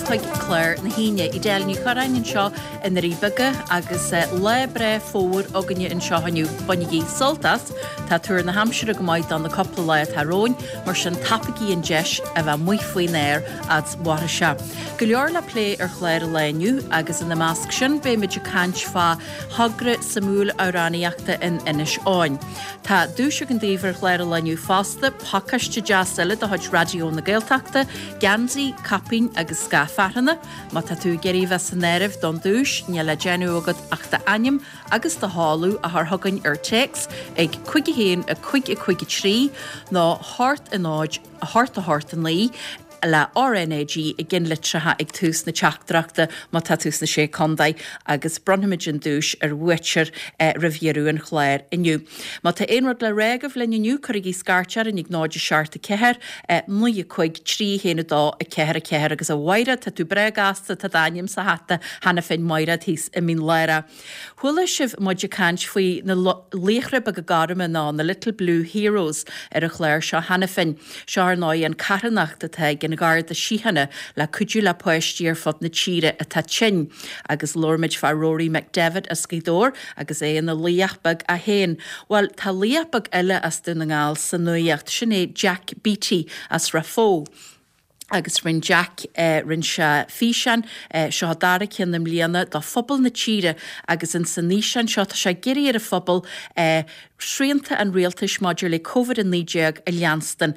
chuig clár na hAoine. Edel Ní Chorráin anseo i nDoirí Beaga agus lá breá fómhair againne anseo inniu. Bainigí sult as, tá tuar na haimsire go maith do na cúpla lá atá romhainn, mar sin tapaigí an deis a bheith amuigh faoin aer fhad's mhairfidh sé. Go leor le plé ar chlár an lae inniu agus ina measc sin beimid ag caint fá thogra suimiúil amhránaíochta in Inis Eoghain. Tá duais againn daoibh ar chlár an lae inniu fosta, pacáiste deas eile de chuid Raidió na Gaeltachta, geansaí, caipín agus scáth fearthanna. Má tá tú ag iarraidh a bheith san áireamh don duais, níl le déanamh agat ach d'ainm agus do sheoladh a chur chugainn ar téacs ag 5 1 5 5 3 nó 8 0 8 8 9 le RnaG i gceannlitreacha ag tús na teachtaireachta má tá tú sna Sé Contae agus bronnfaimid an duais ar bhuaiteoir roimh dheireadh an chláir inniu. Má tá aon rud le rá agaibh linn inniu cuirigí scairt orainn ag 0 7 4 9 5 3 1 2 4 4 agus a Mhaighread tá tú breá gasta tá d'ainm sa hata cheana féin Maighread thíos i Mín Lárach. Chuala sibh muid ag caint faoi na laochra beaga gorma nó na Little Blue Heroes ar an chlár seo cheana féin. Seo ar ndóigh an carthanacht atá ag an Gharda Síochána le cuidiú le páistí ar fud na tíre atá tinn. Agus labhair muid fá Rory McDevitt as Gaoth Dobhair agus é ina laoch beag é féin. Bhuel, tá laoch beag eile as Dún na nGall sa nuaíocht, sin é Jack Beattie as Ráth Fó. Agus rinne Jack, rinne sé físeán, seo a dara ceann i mbliana, do phobal na tíre agus ins an fhíseán seo tá sé ag iarraidh ar an phobal srianta an rialtais maidir le Covid-19 a leanstan.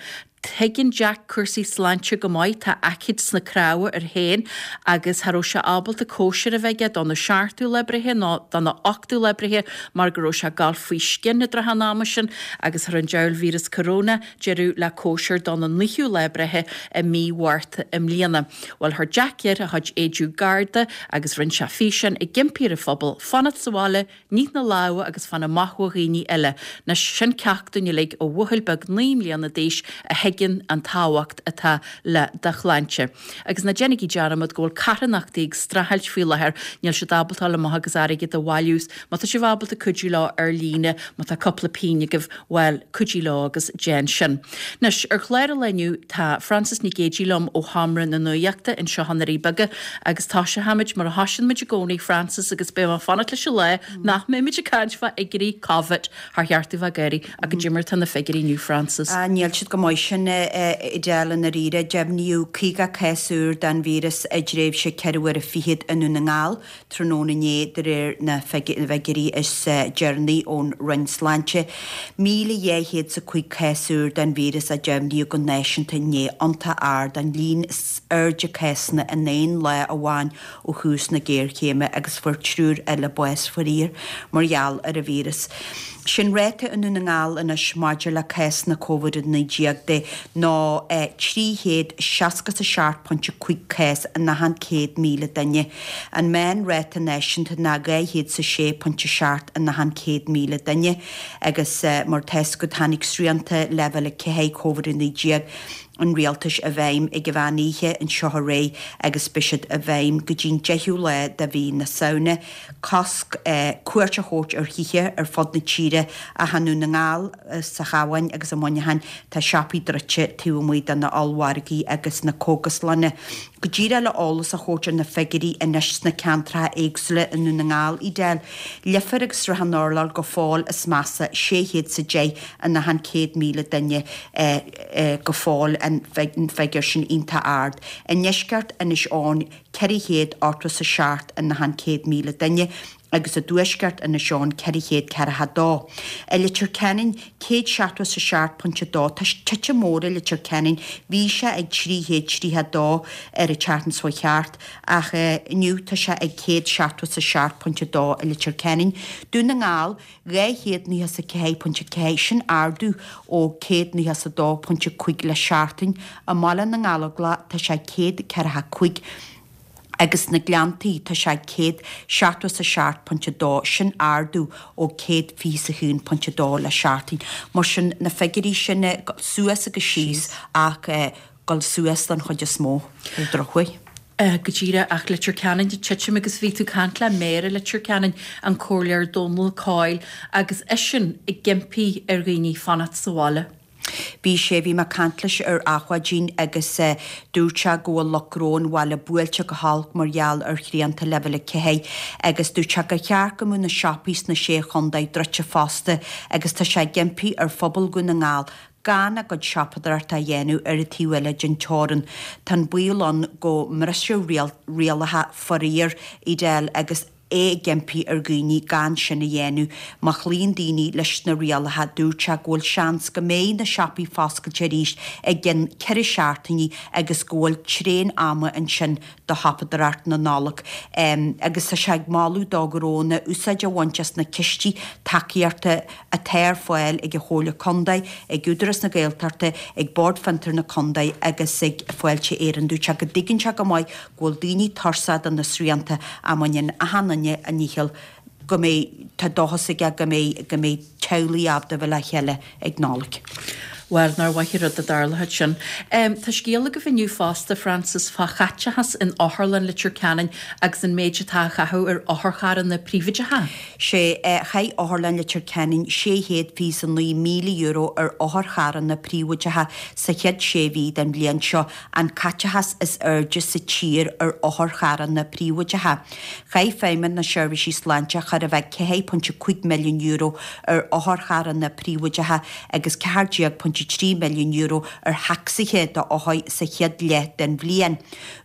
Tuigeann Jack cúrsaí sláinte go maith, tá aicíd sna cnámha air féin agus cha raibh sé ábalta cóisir a bheith aige dona seachtú lá breithe nó dona ochtú lá breithe mar go raibh sé ag gabháil faoi scian i dtrátha an ama sin agus chuir an diabhal víreas corona deireadh le cóisir dona naoú lá breithe i mí Mhárta i mbliana. Bhuel, chuir Jack air a chuid éide garda agus rinne sé físeán ag impí ar an phobal fanacht sa bhaile, nigh na lámha agus fan amach ó dhaoine eile. Anois, sin ceacht dúinn uilig ó bhuachaill beag 9 mbliana d'aois a thuigeann an tábhacht atá le do shláinte. Agus ná déanaigí dearmad go bhfuil carthanachtaí ag streachailt faoi láthair, níl siad ábalta dul amach agus airgead a bhailiú. Má tá sibh ábalta cuidiú leo ar líne, má tá cúpla pingin agaibh, Bhuel, cuidigh leo agus déan sin. Anois, ar chlár an lae inniu, tá Frances Nic Géadaigh liom ó Sheomra na Nuachta anseo i nDoirí Beaga agus toiseochaimid mar a thoisíonn muid i gcónaí, Frances, agus beidh mé ag fanacht leis an lá nach mbeimid ag caint fá fhigiúirí Covid thar cheart domh bheith ag gáirí ach goidé mar atá na figiúirí inniu, Frances. Níl siad go maith sin, a Edel, i ndáiríre. Deimhníodh 50 cás úr den víreas i dtréimhse ceithre huaire fichead i nDún na nGall. Tráthnóna inné, de réir na bhfigiúirí is deireanaí ón Roinn Sláinte, 1,205 cás úr den víreas a deimhníodh go náisiúnta inné, iontach ard, an líon is airde cásanna in aon lá amháin ó thús na géarchéime agus fuair triúr eile bás faraor mar gheall ar an víreas. Sé'n ráta i nDún na nGall anois maidir le cásanna Covid-19 de ná 367.5 cás in achan 100,000 duine. An meán-ráta náisiúnta ná 206.7 in achan 100,000 duine agus mar atá 'fhios agat tháinig srianta Leibhéal 4 Covid-19 an rialtais i bhfeidhm ag an mheán oíche anseo aréir agus beidh siad i bhfeidhm go dtí'n 10ú lá de mhí na Samhna. Cosc cuairt a thabhairt ar thithe ar fud na tíre ach i nDún na nGall, sa Chabhán agus i Muineachán tá siopaí druidte taobh amuigh de na ollmhargaí agus na cógaslanna. Go díreach le eolas a thabhairt ar na figiúirí anois sna ceantracha éagsúla i nDún na nGall, Edel, Leifear agus Srath an Urláir go fóill is measa, 610 in achan 100,000 duine go fóill, an figiúr sin iontach ard. I ndeisceart Inis Eoghain, 487 in achan 100,000 duine agus i dtuaisceart Inis Eoghain 442. I Leitir Ceanainn, 177.2, tá titim mór i Leitir Ceanainn, bhí sé ag 332 ar an tseachtain seo chuaigh thart ach inniu tá sé ag 177.2 i Leitir Ceanainn. Dún na nGall, 294.4, sin ardú ó 192.5 le seachtain. I mBaile na nGallóglach tá sé 145 agus sna Gleanntaí tá sé 177.2, sin ardú ó 121.2 le seachtain. Mar sin, na figiúirí sin suas agus síos ach dul suas don chuid is mó, ar an drochuair. Go díreach, ach Leitir Ceanainn ag titim agus bhí tú ag caint le Méara Leitir Ceanainn, an Comhairleoir Dónal Coyle, agus eisean ag impí ar dhaoine fanacht sa bhaile. Bhí sé, bhí mé ag caint leis ar Adhmhaidin agus dúirt sé go bhfuil lucht gnó an bhaile buailte go holc mar gheall ar shrianta Leibhéal 4 agus dúirt sé gur cheart go mbeadh na siopaí sna Sé Chontae druidte fosta agus tá sé ag impí ar phobal Dhún na nGall gan a gcuid siopadóireachta a dhéanamh ar an taobh eile den teorainn. Tá an baol ann go mbrisfear rialacha faraor, Edel, agus é ag impí ar dhaoine gan sin a dhéanamh. Má chloíonn daoine leis na rialacha, dúirt sé go bhfuil seans go mbeidh na siopaí foscailte arís i gcionn 4 seachtainí agus go bhfuil tréan ama ansin do shiopadóireacht na Nollag. Agus tá sé ag moladh do ghnónna úsáid a bhaint as na cistí tacaíochta atá ar fáil ag an Chomhairle Contae, ag Údarás na Gaeltachta, ag Bord Fiontar na Contae agus ag Fáilte Éireann. Dúirt sé go dtuigeann sé go maith go bhfuil daoine tuirseach de na srianta ach má dhéanann achan duine a ndícheall go mbeidh, tá dóchas aige go mbeidh, go mbeidh teaghlaigh ábalta a bheith le chéile ag Nollaig. Bhuel, nár mhaith an rud dá dtarlódh sin. Tá scéal agaibh inniu fosta, Frances, fá chaiteachas in Otharlann Leitir Ceanainn agus an méid atá á chaitheamh ar otharcharranna príobháideacha. Sé, chaith Otharlann Leitir Ceanainn €629,000 ar otharcharranna príobháideacha sa chéad sé mhí den bhliain seo, an caiteachas is airde sa tír ar otharcharranna príobháideacha. Chaith Feidhmeannacht na Seirbhísí Sláinte chóir a bheith €4.5 milliún ar otharcharranna príobháideacha agus €14.3 milliún ar thacsaithe d'othair sa chéad leath den bhliain.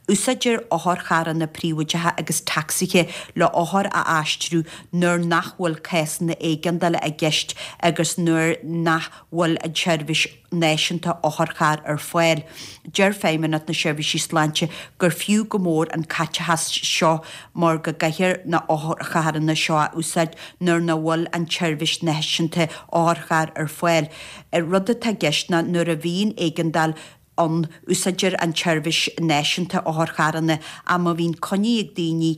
Úsáidtear otharcharranna príobháideacha agus tacsaithe le hothair a aistriú nuair nach bhfuil cásanna éigeandála i gceist agus nuair nach bhfuil an tseirbhís náisiúnta otharcharr ar fáil. Deir Feidhmeannacht na Seirbhísí Sláinte gur fiú go mór an caiteachas seo mar go gcaithfear na hotharcharranna seo a úsáid nuair nach bhfuil an tseirbhís náisiúnta otharcharr ar fáil. Rud atá i gceist ná nuair a bhíonn éigeandáil ann, úsáidtear an tseirbhís náisiúnta otharcharranna ach má bhíonn coinní ag daoine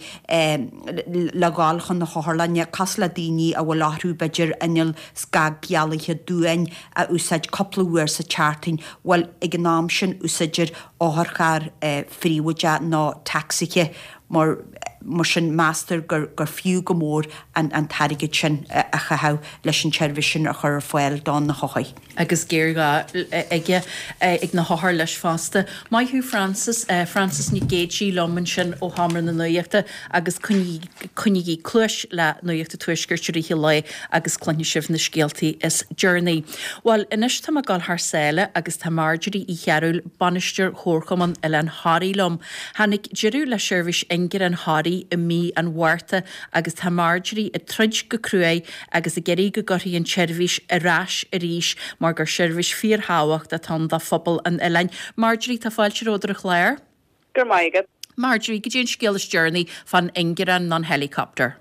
le dhul chun na hotharlainne, cosúil le daoine a bhfuil orthu b'fhéidir inneall scagdhealaithe duáin a úsáid cúpla uair sa tseachtain, bhuel ag an am sin úsáidtear otharcharr phríobháideach nó tacsaithe mar mar sin meastar gur gur fiú go mór an an t-airgead sin a chaitheamh leis an tseirbhís sin a chur ar fáil do na hothair. agus géarghá aige ag na hothair leis fosta. Maith thú Frances. Frances Nic Géidigh liom ansin ó Sheomra na Nuachta agus coinnígí cluais le Nuacht an Tuaiscirt i rith an lae agus cluinfidh sibh na scéaltaí is deireanaí. Bhuel, anois tá mé ag dul thar sáile agus tá Marjorie Uí Chearúil, Bainisteoir Chomharchumann Oileán Thoraí liom. Tháinig deireadh le seirbhís ingearán Thoraí i mí an Mhárta agus tá Marjorie ag troid go cruaidh agus ag iarraidh go gcuirfí an tseirbhís ar ais arís mar gur seirbhís fíorthábhachtach atá ann do phobal an oileáin. Marjorie, tá fáilte romhat ar an chlár. Go raibh maith agat. Marjorie, goidé an scéal is deireanaí fán ingearán nó an helicopter?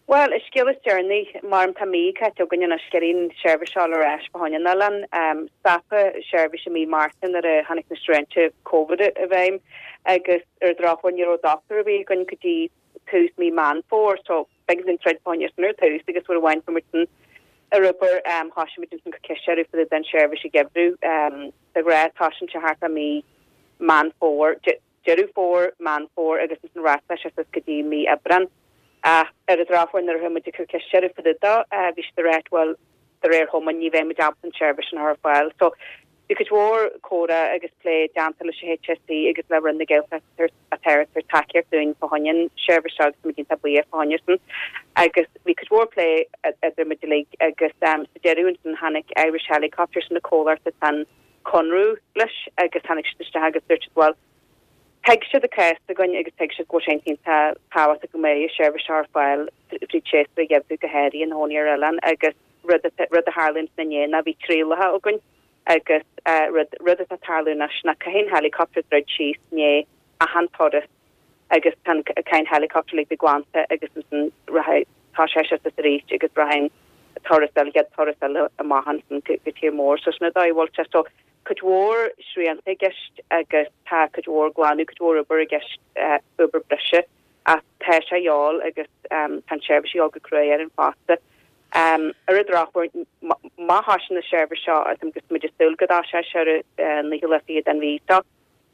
Bhuel, an scéal is deireanaí, mar tá mí caite againn anois ag iarraidh an seirbhís a fháil ar ais fá choinne an oileáin. Stopadh seirbhís i mí Márta nuair a tháinig na srianta Covid i bhfeidhm agus ar an drochuair ní raibh dochtúir ar bith againn go dtí tús mí Meán Fómhair so b'éigean dúinn troid fá choinne sin ar tús agus uair amháin fuair muid san ar obair thoisigh muid ansin ag cur ceist orthu fá dtaobh den seirbhís a gheimhriú. De ghnáth toisíonn sé thart fá mí Meán Fómhair, Deireadh Fómhair, Meán Fómhair agus ansin rachadh sé suas go dtí mí Aibreán. Ach ar an drochuair nuair a chuaigh muid ag cur ceist orthu fá dtaobh dó bhí siad ag ráit bhuel de réir thoma ní bheidh muid ábalta an tseirbhís sin a chur ar fáil. So bhí cuid mhór comhrá agus plé déanta leis an HSE agus le Roinn na Gaeltachta atá ag tabhairt tacaíocht dúinn fá choinne an seirbhís seo agus táimid iontach buíoch fá choinne sin. Agus bhí cuid mhór plé idir muid uilig agus sa deireadh ansin tháinig Irish Helicopters sin an comhlacht atá an conradh leis agus tháinig siad isteach agus dúirt siad bhuel thuig siad an cás againn agus thuig siad go bhfuil sé iontach tábhachtach go mbeidh an seirbhís seo ar fáil fríd séasúr an gheimhridh go háirithe na hónaí ar oileán agus rud rud a tharla ansin inné ná bhí trialacha againn agus rud rud atá ag tarlú anois ná caithfidh an helicopter druid síos i ndiaidh achan turas agus tá an caithfidh an helicopter like bheith glanta agus ansin rachaidh tá sé suas arís agus rachaidh an turas eile chéad turas eile amach ansin go go tír mór so sin an dóigh a bhfuil sé so cuid mhór srianta i gceist agus tá cuid mhór glanadh cuid mhór obair i gceist obair breise ach tá sé a dhíobháil agus tá an tseirbhís a dhíobháil go cruaidh orainn fosta. Ar an drochuair, má thosaíonn an seirbhís seo, agus muid ag súil go dtoiseoidh sé ar an naoú lá fichead den mhí seo,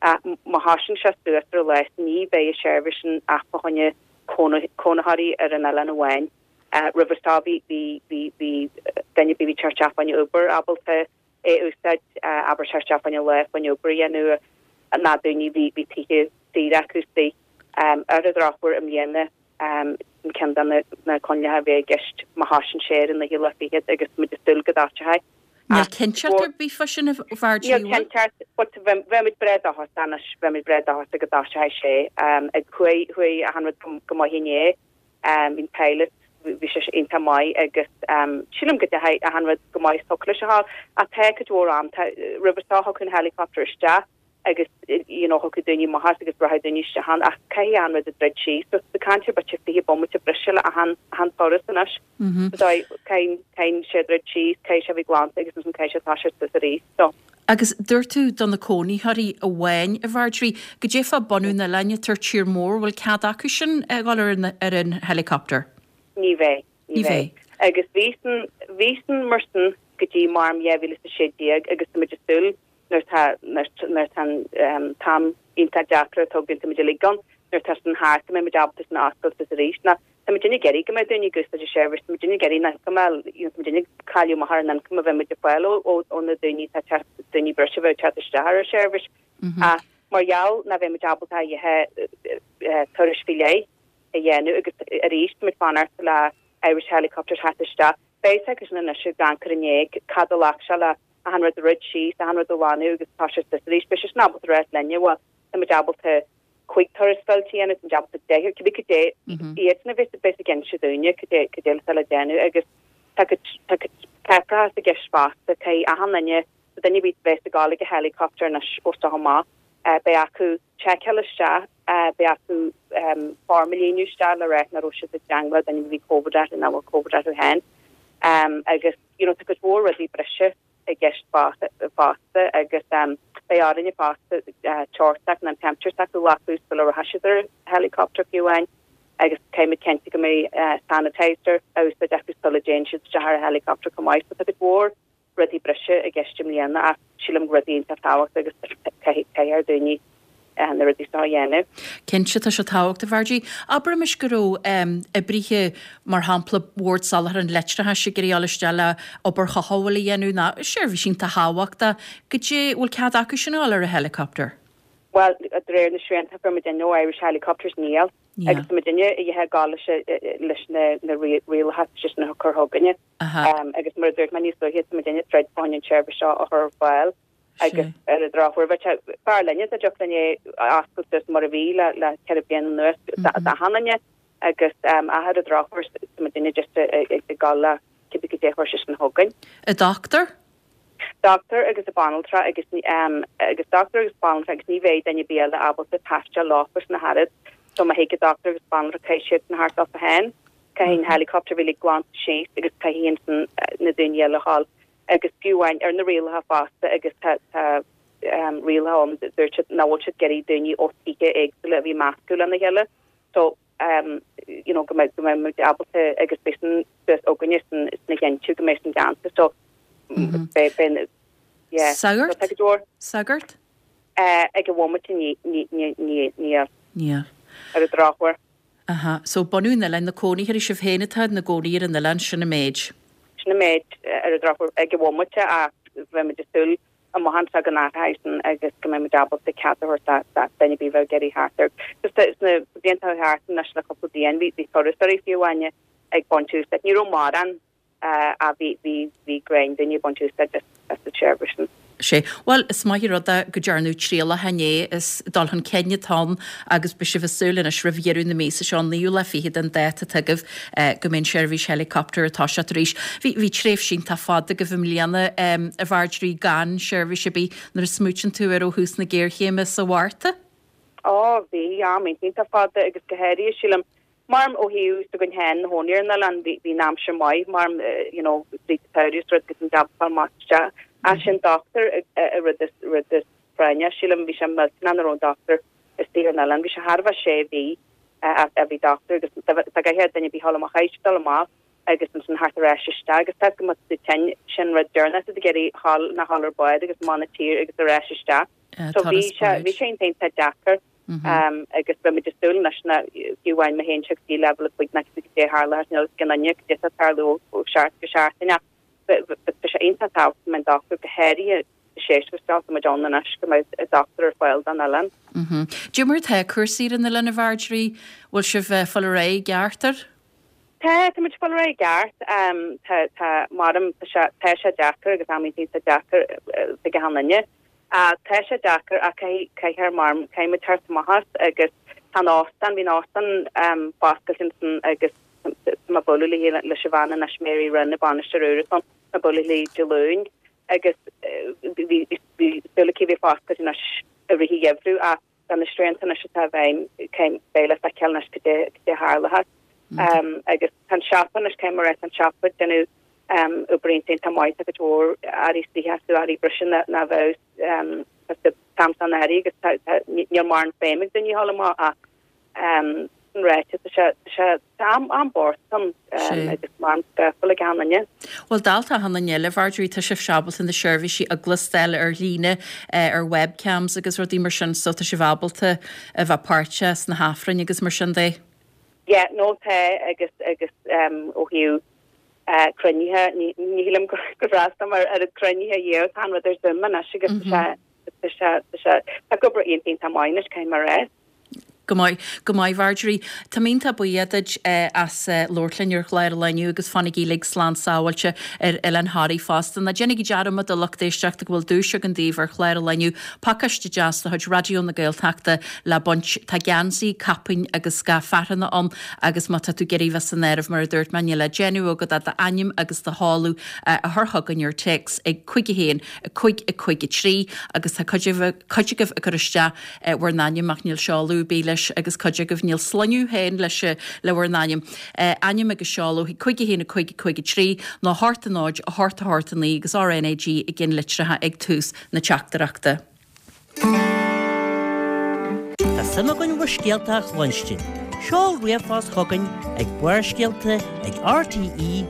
ach má thosaíonn sé suas ar an lá, ní bheidh an seirbhís sin ach fá choinne cónaitheoirí ar an oileán amháin. Roimhe seo bhí, bhí, bhí, bhí duine ar bith a bhí ag teacht isteach fá choinne obair ábalta. é a úsáid, abair teacht isteach fá choinne lá fá choinne obair a dhéanamh ná daoine bhí bhí tithe saoire acu istigh. Ar an drochuair i mbliana sin ceann de na coinníollacha a bheidh i gceist má thosaíonn sé ar an naoú lá fichead agus muid ag súil go dtoiseoidh. Níl cinnteacht ar bith fá sin a Mharjorie, Níl cinnteacht but bheadh muid breá dóchasach anois, bheadh muid breá dóchasach go dtoiseoidh sé. Ag chuaigh chuaigh achan rud go maith inné. Bhí an pilot, bhí sé iontach maith agus sílim go dteachaidh achan rud go maith is thiocfadh leis a ghabháil. Ach tá cuid mhór am, tá, roimhe seo thiocfadh an helicopter isteach agus you know thiocfadh daoine amach as agus rachadh daoine isteach ann ach caithfidh achan rud a druid síos. So tá caint ar b'fhéidir 20 bomaite breise le achan, achan turas anois. So caithfidh, caithfidh sé druid síos, caithfidh sé a bheith glanta agus ansin caithfidh sé toiseacht suas arís. So. Agus dúirt tú do na cónaitheoirí amháin, a Mharjorie, goidé fá bunadh an oileáin atá ar tír mór, bhfuil cead acu sin a dhul ar an ar an helicopter? Ní bheidh, ní bheidh. Agus bhí san, bhí san mar san go dtí maram 2016 agus tá muid ag súil nuair tá, nuair nuair tá an t-am iontach deacair atá againn, tá muid uilig ann, nuair tá san thart go mbeidh muid ábalta san a oscailt suas arís. Ná Tá muidinne ag iarraidh go mbeadh daoine ag úsáid an seirbhís, tá muidinne ag iarraidh an ioncam a fháil, you know, tá muidinne ag cailleadh amach ar an ioncam a bheidh muid ag fáil ó, ó, ó na daoine atá ag teacht, daoine breise a bheadh ag teacht isteach ar an seirbhís. Ach mar gheall nach bheidh muid ábalta a dhath turais faoi leith a dhéanamh agus arís tá muid fanacht le Irish Helicopters theacht isteach, beidh a fhios acu sin anois ag amharc ar inné cad a ghlac sé le achan rud a dhruid síos, achan rud a ghlanadh agus toiseacht suas arís, beidh siad sin ábalta a ráit linne, bhuel, tá muid ábalta 5 turas fillte a dhéanamh, tá muid ábalta 10, cibé cad é iadsan a bheas bheas ag inse dúinne cad é cad é atá le déanamh agus tá cuid tá cuid páipéarachas i gceist fosta, caithfidh achan duine, duine ar bith a bheas ag dul ag an helicopter anois ó seo amach, beidh acu seiceáil isteach, beidh acu form a líonadh isteach le rá nach raibh siad i dteangmháil le duine a bhí Covid orthu nach bhfuil Covid orthu féin agus you know tá cuid mhór rudaí breise. i gceist fosta agus beidh orainne fosta teocht s'acu nó an temperature s'acu a ghlacadh sula rachaidh siad ar helicopter fiú amháin agus caithfidh muid cinntiú go mbeidh sanitizer á úsáid acu sula dtéann siad isteach ar an helicopter chomh maith. So tá cuid mhór rudaí breise i gceist i mbliana ach sílim rudaí iontach tábhachtach agus caithfidh ar daoine na rudaí seo a dhéanamh. Cinnte, tá sé tábhachtach, a Mharjorie. Abraimis go raibh oibrithe, mar shampla, Bhord Soláthair an Leictreachais ag iarraidh dul isteach le obair chothabhála a dhéanamh ná seirbhís iontach thábhachtach. Goidé, bhfuil cead acu sin a dhul ar an helicopter? Bhuel, de réir na srianta a fuair muidinne ó Irish Helicopters, níl. Agus tá muidinne ag gabháil leis na rialacha atá siadsan a chur chugainne. Agus mar a dúirt mé níos luaithe, tá muidinne ag troid fá choinne an tseirbhís seo a chur ar fáil. Agus ar an drochuair, bheadh sé b'fhearr linne dá dtiocfadh linn é a oscailt suas mar a bhí le le 4 bliana anuas d'achan duine agus ach ar an drochuair tá muidinne just ag gabháil le cibé cad é a chuir siadsan chugainn. A dochtúir? Dochtúir agus a banaltra agus agus dochtúir agus banaltra agus ní bheidh duine ar bith eile ábalta taisteal leofa san ach oiread. So má thig an dochtúir agus banaltra caithfidh siadsan theacht leofa féin, caithfidh an helicopter a bheith glanta síos agus caithfidh ansan na daoine eile a ghabháil. agus fiú amháin ar na rialacha fosta agus tá tá rialacha ann dúirt siad nach bhfuil siad ag iarraidh daoine ó tithe éagsúla a bheith ag meascadh lena chéile so um, you know, go mbeidh go mbeidh muid ábalta agus beidh san suas againne san sna chinntiú go mbeidh san déanta so beidh beidh yeah Sagart? So, tá go leor. Sagart? Uh, ag an bhomaite ní ní ní ní níl. Níl. Ar an drochuair. Aha. So bunadh an oileáin, na cónaitheoirí, sibh féin atá ina gcónaí ar an oileán, sin an méid. Sin an méid ar an drochuair ag an bhomaite ach bheadh muid ag súil amach anseo go n-athróidh sin agus go mbeidh muid ábalta cead a thabhairt do dhuine ar bith a bheadh ag iarraidh theacht air. Just sna blianta thart anois le cúpla bliain bhí turasóirí fiú amháin ag baint úsáid. Ní raibh mórán ach bhí, bhí, bhí greim daoine ag baint úsáid as an tseirbhís sin. Sea. Bhuel, is maith an rud é go dtearnadh trialacha inné, is dul chun cinn atá ann agus beidh sibh ag súil anois roimh dheireadh na míosa seo, an naoú lá fichead an dáta atá agaibh, go mbeidh an seirbhís helicopter ag toiseacht arís. Bhí, bhí tréimhse iontach fada agaibh i mbliana, a Mharjorie, gan seirbhís ar bith nuair a smaoitíonn tú air ó thús na géarchéime sa Mhárta. Ó, bhí, am iontach fada agus go háirithe, sílim, Mar ó thaobh s'againn féin ina chónaí ar an oileán bhí bhí an aimsir maith mar you know tríd an tsamhradh is rud agus an jab fáil amach isteach. Ach sin dochtúir a rud is rud is práinne sílim bhí sé millteanach nach raibh an dochtúir istigh ar an oileán. Bhí sé thar a bheith sé mhí a bhí dochtúir agus dá gcaithfeadh duine ar bith dhul amach chaithfeadh siad dul amach agus ansin theacht ar ais isteach agus tá go mbeadh tú tinn sin rud deireanach tú ag iarraidh dhul ná dhul ar bád agus amach na tír agus ar ais isteach. So bhí sé bhí sé iontach deacair. Agus beidh muid ag súil anois ná fiú amháin má théann sé go dtí leibhéal 5 ná cibé cad é a tharlóidh níl a fhios ag aon duine cad é atá ag tarlú ó sheachtain go seachtain ach tá sé. sé iontach tábhachtach go mbeadh an dochtúir, go háirithe sa séasúr seo atá muid ann anois, go mbeadh dochtúir ar fáil don oileán. Cad é mar atá cúrsaí ar an oileán, a Mharjorie? Bhfuil sibh ag fáil ar aghaidh i gceart air? Tá, tá muid ag fáil ar aghaidh i gceart. Tá, tá, maram, tá sé, tá sé deacair agus amanntaí tá deacair ag achan duine. Tá sé deacair ach caithfidh, caithfear, maram, caithfidh muid teacht amach as agus tá an óstán, bhí an óstán foscailte ansan agus tá mé ag bualadh léi, leis an bhean anois, Mary Rynne, an bainisteoir úr atá ann, tá mé ag bualadh léi Dé Luain agus bhí, bhí súil aici a bheith foscailte anois i rith an gheimhridh ach do na srianta anois atá i bhfeidhm, beidh le feiceáil anois cad é a tharlóchas. Agus tá an siopa anois, caithfidh mé a rá, tá an siopa ag déanamh obair iontach maith, tá cuid mhór earraí istigh astu, earraí breise ná bheadh sa t-am san earraí agus níl mórán feidhm ag daoine a dhul amach ach Sin ráite, tá sé, tá sé, tá am, am bocht ann agus mar scafall ag achan duine. Bhuel, dálta achan duine eile, Mharjorie, tá sibhse ábalta na seirbhísí a ghlóstáil ar líne, ar webcams agus rudaí mar sin, so tá sibh ábalta a bheith páirteach sna hAifrinn agus mar sin de. Yeah, no tá agus, agus ó thaobh cruinnithe, ní, ní shílim gur fhreastail mé ar oiread cruinnithe riamh, tá an rud ar Zoom anois agus tá sé, tá sé, tá sé, tá ag obair iontach, iontach maith anois, caithfidh mé a rá. Go maith, go maith Mharjorie. Tá mé iontach buíoch duit as labhairt linn ar chlár an lae inniu agus fanaigí uilig slán sábháilte ar Oileán Thoraí fosta. Ná déanaigí dearmad a lucht éisteachta go bhfuil duais againn daoibh ar chlár an lae inniu, pacáiste deas de chuid Raidió na Gaeltachta le baint. Tá geansaí, caipín agus scaif fearthanna ann agus má tá tú ag iarraidh bheith san áireamh mar a dúirt mé níl le déanamh agat ach d'ainm agus do sheoladh a chur chugainn ar téacs ag 5 1 5 5 3 agus tá cuid agaibh ag cur isteach bhur n-ainm ach níl seoladh ar bith leis agus cuid agaibh níl sloinneadh féin leis le bhur n-ainm. Ainm agus seoladh chuig 5 1 5 5 3 nó 8 0 8 8 9 agus RNAG i gceannlitreacha ag tús na teachtaireachta. Tá suim againn bhur scéalta a chluinstin. Seol ríomhphost chugainn ag barrscéalta ag rte.ie.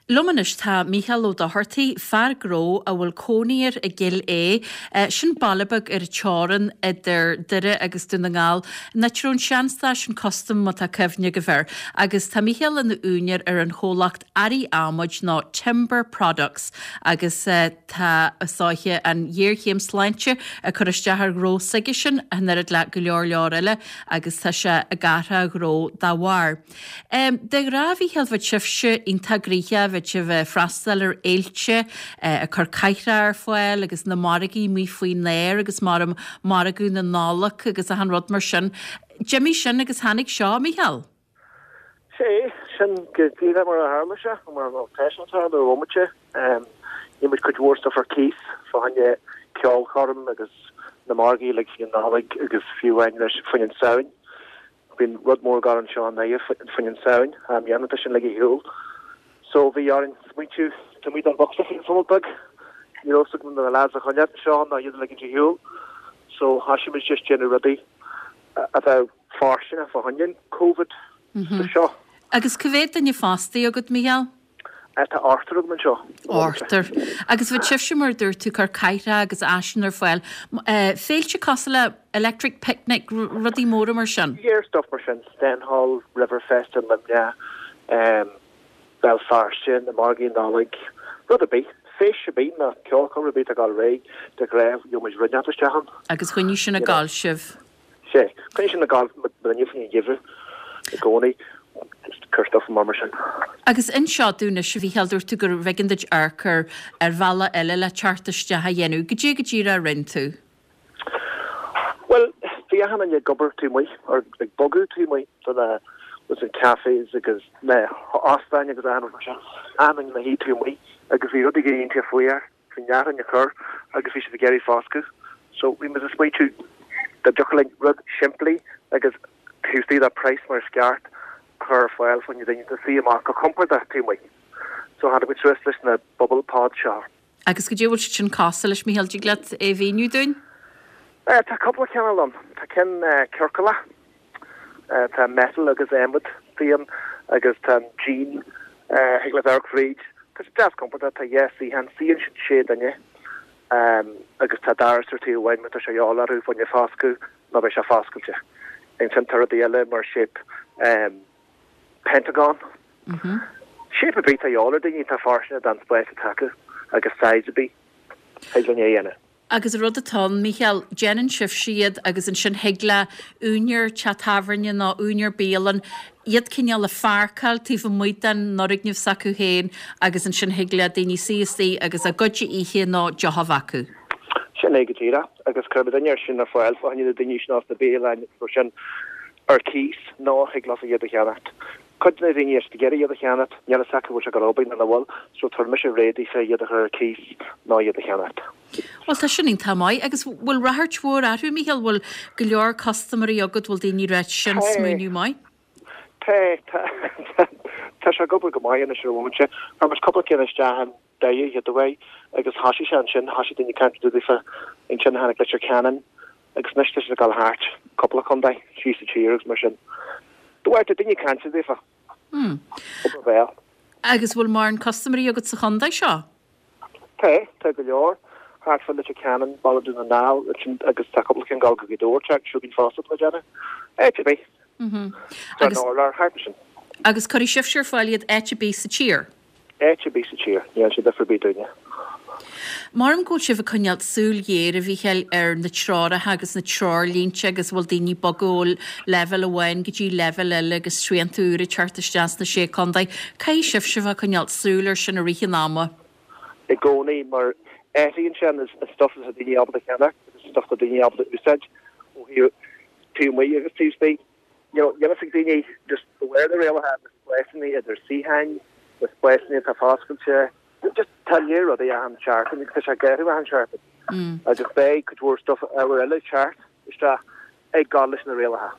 Liom anois tá Mícheál Ó Dochartaigh, fear gnó a bhfuil cónaí air i gCill Aodha. Sin baile beag ar an teorainn idir Doire agus Dún na nGall, an áit a raibh an seanstáisiún custaim má tá cuimhne agaibh air. Agus tá Mícheál ina úinéir ar an chomhlacht Earraí Adhmaid nó Timber Products agus tá is dóiche an ghéarchéim sláinte ag cur isteach ar ghnó s'aigesean an oiread le go leor leor eile agus tá sé ag athrú a ghnó dá bharr. De ghnáth, a Mhícheáil, bheadh sibhse iontach gnoitheach, bheadh sibh ag freastal ar fhéilte, ag cur cathaoireacha ar fáil agus na margaí amuigh faoin aer agus mar margadh na Nollag agus achan rud mar sin. D'imigh sin agus tháinig seo, a Mhícheáil. Sea, sin go díreach mar a tharla sé, mar tá sé ag tarlú ar bhomaite. Níl muid cuid mhór stuff ar cíos fá choinne ceolchoirm agus na margaí uilig faoin Nollaig agus fiú amháin leis faoin an Samhain. Bíonn rud mór ag gabháil anseo i nDoire faoin an Samhain, i mbliana tá sin ligthe ar shiúl. So bhí orainn smaointiú taobh amuigh den bhocsa faoin phobal beag. Ní raibh fhios agam na lads a choinneáil anseo ná iad a ligint ar shiúl. So thoisigh muid just déanamh rudaí a bheadh fóirsteanach fá choinne an Covid sa seo. Agus cá mhéad duine fostaithe agat, Mícheál? Tá ochtar agam anseo. Ochtar. Agus bheadh sibhse, mar a dúirt tú, cur cathaoireacha agus áiseanna ar fáil. Féilte cosúil le Electric Picnic, rudaí móra mar sin? Yeah, stuff mar sin. Stenhall, Riverfest i Luimneach, Béal Feirste, na margaí Nollag, rud ar bith. Feis ar bith nó ceolchoirm ar bith atá ag dul ar aghaidh, de ghnáth, gheobhaidh muid rud inteacht isteach ann. Agus choinnigh sin ag gabháil sibh. Sea, coinnigh sin ag gabháil muidne faoin gheimhreadh i gcónaí, just cur stuff amach mar sin. Agus inis dúinn anois, a Mhícheáil, dúirt tú gurbh éigean duit amharc ar ar bhealach eile le teacht isteach a dhéanamh. Goidé go díreach a rinne tú? Bhuel, bhí achan duine ag obair taobh amuigh, or ag bogadh taobh amuigh do na, was it cafés agus na hóstáin agus achan rud mar sin. Achan duine ina shuí taobh amuigh agus bhí rudaí ag éirí fuar. Bhí neart ag cur agus bhí siad ag iarraidh foscadh. So bhí muid ag smaointiú dá dtiocfadh linn rud simplí agus taobh istigh de price mar is ceart a chur ar fáil fá choinne daoine suí amach go compordach taobh amuigh. So tháinig muid suas leis na bubble pods seo. Agus goidé a bhfuil siad sin cosúil leis, Mícheál, dtig leat é a mhíniú dúinn? Tá cúpla cineál ann. Tá ceann ciorcalach. Tá metal agus adhmad ann agus tá an díon thig leat amharc fríd. Tá sé deas compordach, tá dhá suíochán, suíonn siad sé duine agus tá doras ar taobh amháin má tá sé a dhíobháil orthu fá choinne foscadh nó beidh sé foscailte. Ansin tá rudaí eile mar shape pentagon. Shape ar bith atá a dhíobháil ar daoine, tá fóirsteanach don spás atá acu agus size ar bith, thig linn é a dhéanamh. Agus an rud atá ann, Mícheál, déanann sibhse iad agus ansin thig le úinéir teach tábhairne nó úinéir bialann iad cineál a pháirceáil taobh amuigh den fhoirgneamh s'acu féin agus ansin thig le daoine suí istigh agus a gcuid a ithe nó deoch a bheith acu. Sin é go díreach. Agus cuirimid an oiread sin ar fáil fá choinne na daoine sin as na bialanna agus mar sin ar cíos nó thig leofa iad a cheannacht. Cuid de na daoine is ag iarraidh iad a cheannacht, níl fhios acu bhfuil sé ag dul obair nó nach bhfuil, so tabharfaidh mise réidh daofa iad a chur ar cíos nó iad a cheannacht. Bhuel, tá sin iontach maith. Agus bhfuil ráchairt mhór orthu, Mícheál? Bhfuil go leor custaiméirí agat, bhfuil daoine ag ráit sin smaoineamh maith? Tá, tá. Tá sé ag obair go maith anois ar an bhomaite. Chuir muid cúpla ceann isteach in Doire an chéad uair agus thosaigh sé ansin, thosaigh daoine ag caint daofa ansin tháinig Leitir Ceanainn, Agus anois tá siad ag dul thart cúpla contae síos sa tír agus mar sin. De bharr tá daoine ag caint daofa. Obair bhéil. Agus bhfuil mórán custaiméirí agat sa chontae seo? Tá, tá go leor. Thart fá Leitir Ceanainn, Baile Dhún na nGall ansin agus tá cúpla ceann ag dul go Gaoth Dobhair teacht chugainn fosta tá mé ag déanamh. Áit ar bith. Tá an urlár thart ansin. Agus cuirfidh sibhse ar fáil iad áit ar bith sa tír? Áit ar bith sa tír, ní dhéanann sé difear ar bith dúinne. Maram go bhfuil sibh ag coinneáil súil ghéar, a Mhícheáil, ar na treoracha agus na treoirlínte agus a bhfuil daoine ag bogadh ó leibhéal amháin go dtí leibhéal eile agus srianta úra ag teacht isteach sna Sé Contae. Caithfidh sibhse a bheith ag coinneáil súil air sin i rith an ama. I gcónaí, mar athraíonn sé an stuif atá daoine ábalta a cheannach agus an stuif atá daoine ábalta a úsáid ó thaobh taobh amuigh agus taobh istigh. You know, níl a fhios ag daoine just de bharr na rialacha na spásanna idir suíocháin, na spásanna atá foscailte, just tá léir rudaí achan seachtain agus tá sé ag athrú achan seachtain. Agus beidh cuid mhór stuff ábhar eile ag teacht isteach ag gabháil leis na rialacha.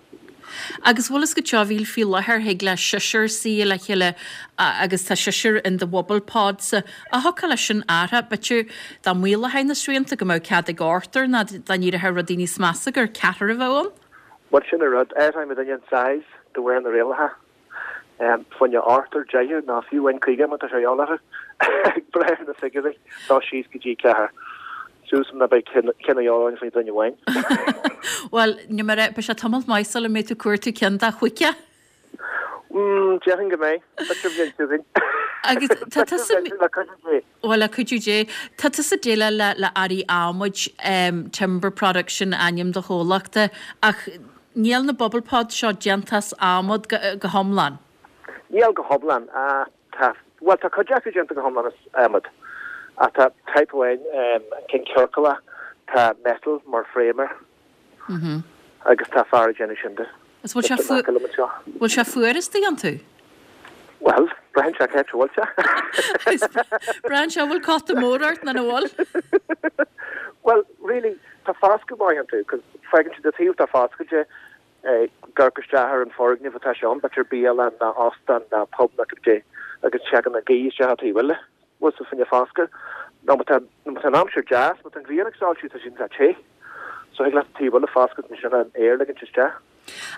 Agus bhfuil fhios agat seo, a Mhíchíl, faoi láthair thig le seisear suí le chéile agus tá seisear in do bhubble podsa. Ach thiocfadh leis sin athrú, b'fhéidir dá maolófaí na srianta go mbeadh cead ag ochtar nó dá n-éireodh rudaí níos measa gur ceathrar a bheadh ann. Bhuel, sin an rud. Athróidh muidinne an size de bharr na rialacha. Fá choinne ochtar, deichniúr, nó fiú amháin 50 má tá sé a dhíobháil orthu. Ag brath ar na figiúirí, nó síos go dtí ceathrar. Suas ná beidh ceann a dhíobháil orainn fá choinne duine amháin. Bhuel, ní mar é, beidh sé tamalt maith sula mbeidh tú ag cuartú ceann de chuici. Mm, déarfainn go mbeidh. B'fhéidir bhliain chugainn. Agus tá tusa. Le cuidiú Dé. Bhuel, le cuidiú Dé. Tá tusa ag déileáil le le earraí adhmaid, Timber Products sin ainm do chomhlachta, ach níl na bubble pods seo déanta as adhmad go go hiomlán. Níl go hiomlán, ach tá, bhuel tá cuid acu déanta go hiomlán as adhmad. Ach tá type amháin, an ceann ciorclach, tá metal mar frame air. Agus tá fear ag déanamh sin de. Is bhfuil sé fu-, bhfuil sé fuar istigh iontu? Bhuel, braitheann sé cá háit a bhfuil sé. Braitheann sé an bhfuil cóta mór ort nó nach bhfuil? Bhuel, really, tá foscadh maith iontu, 'cause fágann siad an taobh atá foscailte, ag amharc isteach ar an foirgneamh atá sé ann, b'fhéidir bialann ná óstán ná pub ná cibé, agus teagann an ghaoth isteach an taobh eile. Bhuel, so fá choinne foscadh, nó má tá, má tá an aimsir deas, má tá an ghrian ag soilsiú, tá siad iontach te. So thig leat an taobh eile a foscailt ansin an aer a ligint isteach.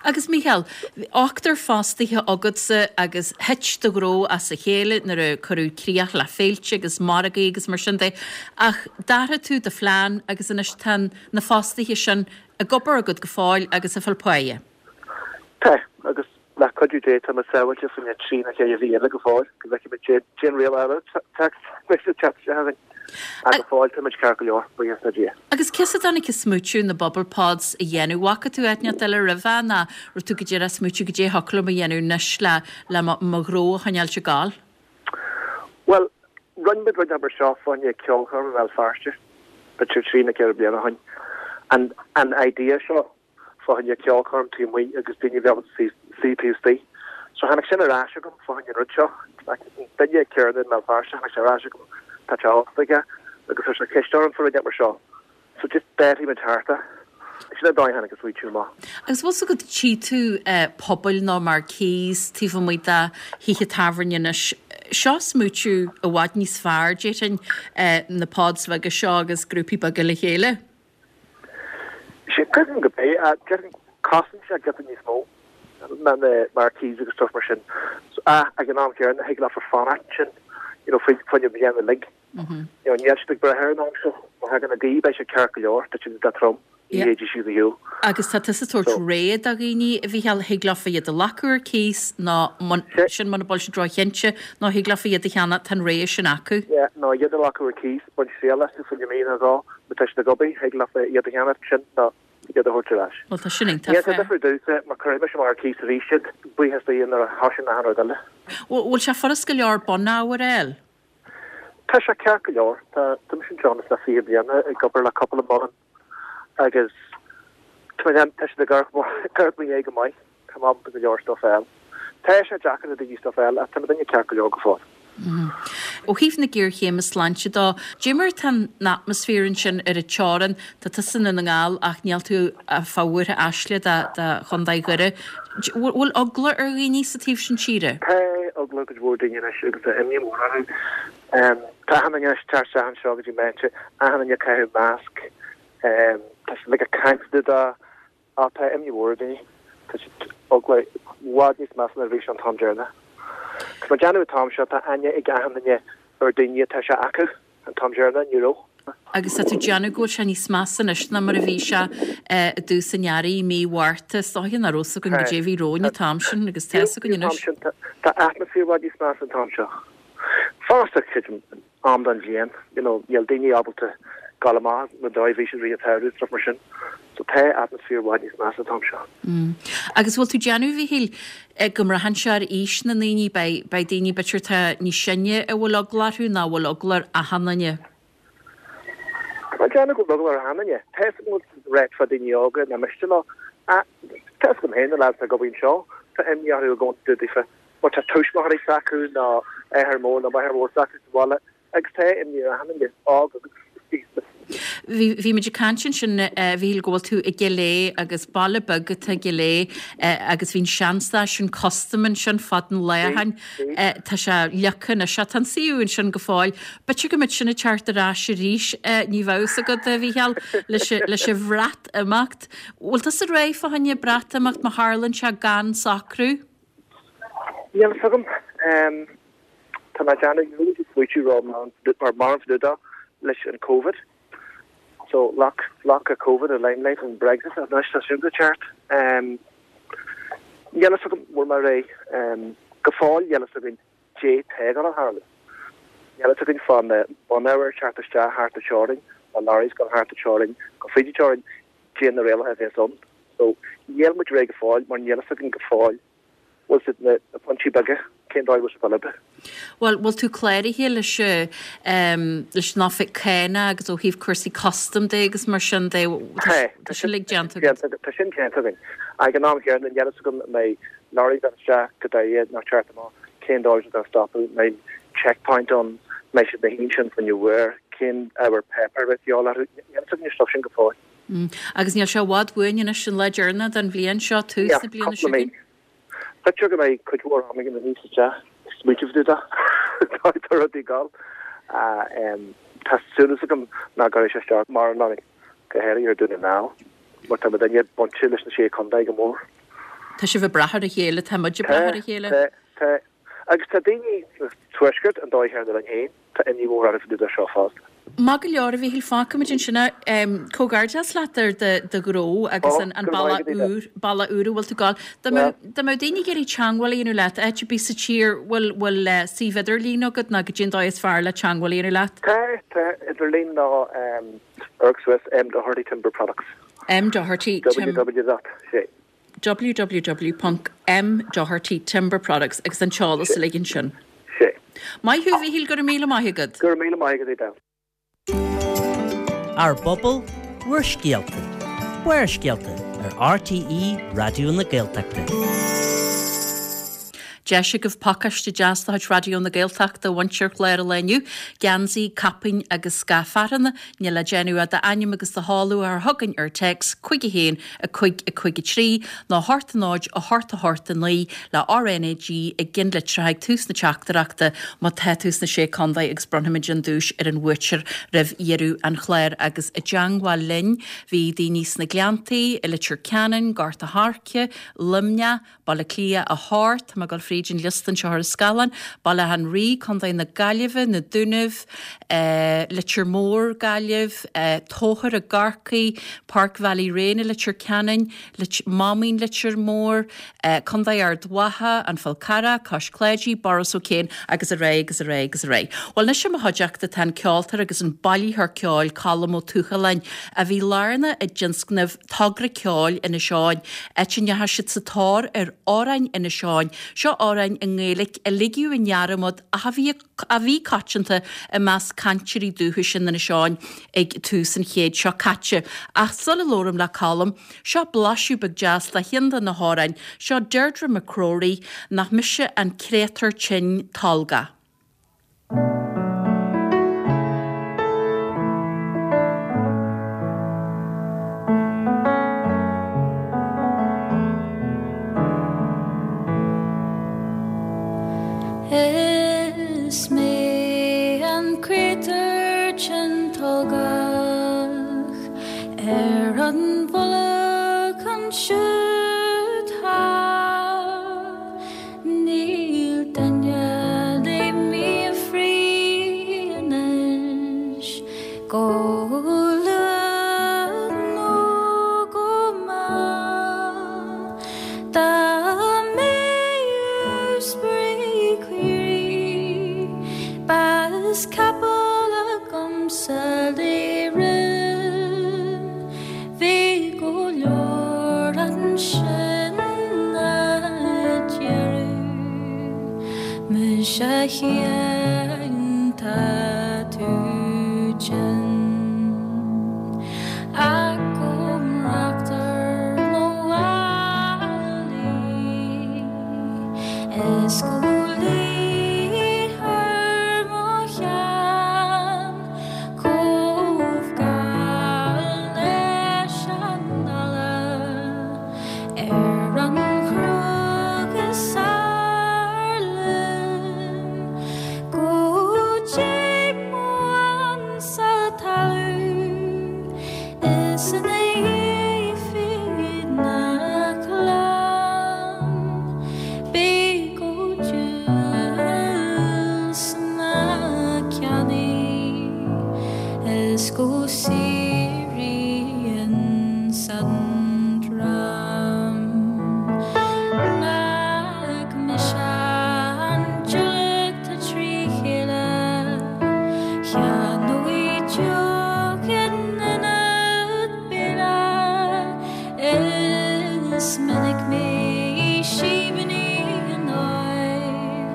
Agus Mícheál, ochtar fostaithe agatsa agus thit do ghnó as a chéile nuair a cuireadh críoch le féilte agus margaí agus mar sin de, ach d'athraigh tú do phlean agus anois tá na fostaithe sin ag obair agat go fóill agus ag fáil páighe. Tá, agus Le cuidiú Dé tá muid sábháilte fá choinne trí nó ceithre mhí eile go fóill, go bhfeicfidh muid cén riail eile atá ag teacht isteach againn. Ach go fóill tá muid ceart go leor, buíochas le Dia. Agus cé as a dtáinig an smaoitiú na bubble pods a dhéanamh? Bhfaca tú áit inteacht eile roimhe nó raibh tú go díreach ag smaoitiú goidé thiocfadh liom a dhéanamh anois le le mo ghnó a choinneáilt ag gabháil? Bhuel, rinne muid rud mar seo fá choinne ceolchoirm i mBéal Feirste, b'fhéidir trí nó ceithre bliana ó shin. An an idea seo fá choinne ceolchoirm taobh amuigh agus daoine a bheith ábalta suí taobh istigh. So tháinig sin ar ais agam fá choinne an rud seo. An duine céanna i mBéal Feirste, tháinig sé ar ais agam, tá teach ósta aige agus chuir sé ceist orm fá rud mar seo. So just d'athraigh muid thart é. Sin an dóigh a tháinig an smaoitiú amach. Agus bhfuil 's agat, tchí tú pubaill nó marquees taobh amuigh de thithe tábhairne anois. Seo smaoitiú i bhfad níos fearr, déarfainn, na pods bheaga seo agus grúpaí beaga le chéile. Sea, creidim go b'é. Déarfainn cosnaíonn sé giota níos mó ná na marquees agus stuff mar sin. Ach ag an am céanna, thig leofa fanacht ansin, you know, faoi choinne bliain uilig. You know, níl siad ag brath ar an aimsir. Má thagann an ghaoth, beidh siad ceart go leor, tá siad iontach trom. Ní théidís siad ar shiúl. Agus tá tusa ag tabhairt rogha do dhaoine, a Mhícheáil, thig leofa iad a ghlacadh ar cíos nó sin muna bhfuil siad ró-chinnte nó thig leofa iad a cheannach, tá an rogha sin acu. Yeah, nó iad a ghlacadh ar cíos, baint triail astu fá choinne mí nó dhó, má tá siad ag obair, thig leofa iad a cheannach sin nó iad a thabhairt ar ais. Bhuel tá sin iontach Níl sé difriúil domhsa mar cuirfidh mise amach ar cíos arís iad, buíochas do Dhia nuair a thosaíonn achan rud eile. Bhfuil sé furast go leor bunábhar a fháil? Tá sé ceart go leor. Tá tá mise anseo anois le 20 bliana ag obair le cúpla monarcha agus tá mé tá siad ag amharc ag amharc mo dhiaidh go maith. Tá mé ábalta go leor stuff a fháil. Tá sé deacair do daoine stuff a fháil ach tá muidinne ceart go leor go fóill. Ó thaobh na géarchéime sláinte dó, dé mar atá an atmaisféar ansin ar an teorainn? Tá tusa i nDún na nGall ach níl tú fá bhúirthe aisle do Chontae Dhoire. Bhfuil eagla ar dhaoine sa taobh sin tíre? Tá eagla ar cuid mhór daoine anois agus tá imní mhór orthu. Tá achan duine anois ag teacht isteach anseo go dtí m'áitse, achan duine ag caitheamh masc, tá siad uilig ag caint fá dtaobh de, ach tá imní mhór ar dhaoine. Tá siad eagla i bhfad níos measa ná a bhí sé an t-am deireanach. Tá mé ag déanamh an t-am seo, tá aithne ag achan duine ar daoine atá sé acu. An t-am deireanach, ní raibh. Agus tá tú ag déanamh go bhfuil sé níos measa anois ná mar a bhí sé i dtús an earraigh, mí Mhárta. Is dóiche nach raibh fhios againn goidé a bhí romhainn an t-am sin agus tá fhios againn anois. Tá atmaisféar i bhfad níos measa an t-am seo. Fosta, creidim, am den bhliain, you know, níl daoine ábalta gabháil amach na dóigh a bhí siad i rith an tsamhraidh is stuff mar sin. So tá atmaisféar i bhfad níos measa an t-am seo. Agus bhfuil tú ag déanamh, a Mhíchíl, go mbraitheann sé ar aois na ndaoine, beidh, beidh daoine b'fhéidir atá níos sine a bhfuil eagla orthu nó bhfuil eagla ar achan duine? Tá mé ag déanamh go bhfuil eagla ar achan duine. Tá fhios agam go bhfuil rate fá daoine óga nach miste leo. Tá fhios agam féin na lads atá ag obair anseo, tá imní orthu i gcónaí daofa mar tá tuismitheoirí s'acu nó athair mór nó máthair mhór s'acu sa bhaile Agus tá imní ar achan duine, óg agus aosta. Bhí, bhí muid ag caint ansin, a Mhíchíl, go bhfuil tú i gCill Aodha agus baile beag atá i gCill Aodha agus bhí an seanstáisiún custaim ansin fad an lá ó shin. Tá sé leagtha anois, tá an suíomh ansin go fóill. B'fhéidir go mbeidh sin ag teacht ar ais arís, ní bheadh fhios agat, a Mhíchíl, leis, leis an Bhreatimeacht. Bhfuil tusa réidh fá choinne Breatimeacht má tharlaíonn sé gan socrú? Níl fhios agam. Tá mé ag déanamh níl muid ag smaoitiú ró mar mórán fá dtaobh de leis an Covid. So lock lock Covid i limelight an Brexit anois tá sin go ceart. Níl fhios agam bhfuil mé réidh. Go fóill níl fhios againn dé tá ag dul a tharlú. Níl fhios againn fá na bunábhair teacht isteach thart an teorainn, na lorries gabháil thart an teorainn, go fríd an teorainn, dé na rialacha a bhéas ann. So níl muid réidh go fóill mar níl fhios againn go fóill bhfuil siad na pointí beaga, cén dóigh a bhfuil siad ag dul oibre. Bhuel, bhfuil tú cláraithe leis leis an oifig cánach agus ó thaobh cúrsaí custam de agus mar sin de, Tá, tá sin uilig déanta agat? Tá sin déanta againn. Ag an am chéanna, níl fhios agam an mbeidh lorry ag dul isteach go Doire nó teacht amach, cén dóigh siad ag stopadh, an mbeidh checkpoint ann, an mbeidh siad ina shuí ansin fá choinne uair, cén ábhar páipéir a bheidh de dhíobháil orthu, níl fhios againn an stuff sin go fóill. Agus níl sé i bhfad uainn anois, an lá deireanach den bhliain seo, tús na bliana seo chugainn. B'fhéidir go mbeidh cuid mhór ama againn anois isteach ag smaoitiú fá dtaobh de tá rudaí ag dul. Tá súil agam nach gcuirfidh sé isteach mórán orainn, go háirithe ar Dún na nGall, mar tá muidinne bainte leis na Sé Chontae go mór. Tá sibh ag brath ar a chéile, tá muid ag brath ar a chéile. Tá, tá. Agus tá daoine sa Tuaisceart an dóigh chéanna linn féin, tá imní mhór orthu fá dtaobh de seo fosta. Maith go leor, a Mhíchíl, fágfaimid ansin é. Comhghairdeas leat ar do ghnó agus an bealach úr, bealach úr a bhfuil tú ag gabháil. Dá mbeadh daoine ag iarraidh teagmháil a dhéanamh leat, áit ar bith sa tír, bhfuil, bhfuil suíomh idirlín agat nó goidé an dóigh is fearr le teagmháil a dhéanamh leat? Tá, tá, idirlíon nó amharc suas M Doherty Timber Products. M Doherty Tim. www dot, sé. www.mdohertytimberproducts agus an t-eolas uilig ansin. Sé. Maith thú, a Mhíchíl, go raibh míle maith agat. Go raibh míle maith agat, Edel. Ár bpobal, bhur scéalta. Barrscéalta ar RTÉ Raidió na Gaeltachta. Deis agaibh pacáiste deas de chuid Raidió na Gaeltachta a bhaint ar chlár an lae inniu, geansaí, caipín agus scaif fearthanna, Níl le déanamh ach d'ainm agus do sheoladh a chur chugainn ar téacs 5 1 5 5 3 nó 8 0 8 8 9 le RnaG i gceannlitreacha ag tús na teachtaireachta má tá tú sna Sé Contae agus bronnfaimid an duais ar an bhuaiteoir roimh dheireadh an chláir agus i dteangmháil linn bhí daoine sna Gleanntaí, i Leitir Ceanainn, Gort a' Choirce, Luimneach, Baile Átha Cliath 8, tá mé ag dul fríd. fríd an liosta anseo ar an scáileán, Baile Átha an Rí, Contae na Gaillimhe, Na Dúnaibh, Leitir Móir, Gaillimh, Tóchar i gCorcaigh, Páirc Bhallyraine i Leitir Ceanainn, Máimín Leitir Móir, Contae Ard Mhacha, An Fál Carrach, Cois Cláidí, Borris O'Kane agus ar aghaidh agus ar aghaidh agus ar aghaidh. Bhuel anois i mo chuideachta tá an ceoltóir agus an bailitheoir ceoil Colm Ó Tuathaláin a bhí lárnach i dtionscnamh Togra Ceoil Inis Eoghain, áit a ndeachaigh siad sa tóir ar amhráin Inis Eoghain, seo amhráin i nGaeilge a ligeadh i ndearmad ach a bhí a bhí coitianta i measc cainteoirí dúchais in Inis Eoghain ag tús an chéid seo caite. Ach sula labhraím le Colm, seo blaiseadh beag deas de cheann de na hamhráin, seo Deirdre McCrory, Nach mise an créatúr tinn tolgach. Is mé an créatúr tinn tolgach ar an mhullach ansiúd thall. Níl duine le m'fhiafraí anois go luath nó go mall. Dá mbeadh spraoi caoirigh, b'as capall agamsa le rith. Bhí go leor ansin a déarfadh, Muise a Sheáin, tá tú tinn. Ach go mbrachtar mo mhálaí is go luíthear mo cheann chomh geal leis an eala ar an chnoc is fearr linn go dté mo ansa talamh is ina dhiaidh fríd na clann beidh go diabhal sna ceannaí is go síoraí insan dream nach mise an diúlac tá tri chéile Cheannóidh deoch in ionad béile Is minic mé i síbíní an áir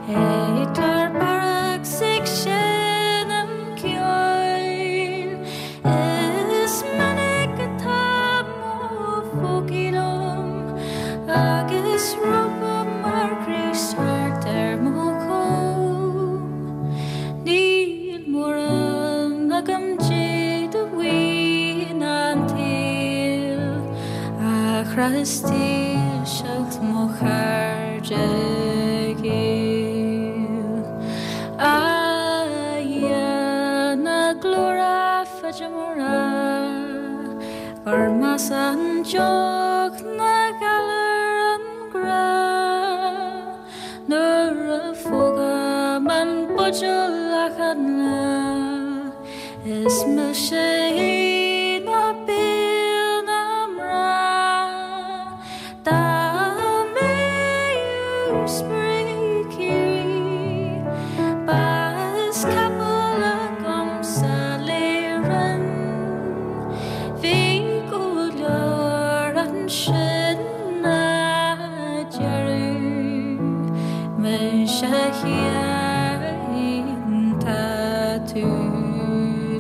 Ag clár barrach 's ag seinm ceoil Is minic atá mo phócaí liom Agus rópa mar chrios thart ar mo chom. Níl mórán agam Dé de mhaoin an tsaoil ach is dílseacht mo chairde géill. A Dhia na glóire feidim a rá gur measa an deoch ná galar an grá. Nuair a phógaim an buidéal achan lá Is milse é ná béal na mná Dá mbeadh spraoi caoirigh B'as capall agamsa le rinn Bhí go leor ansin a déarfadh Muise a Sheáin tá tú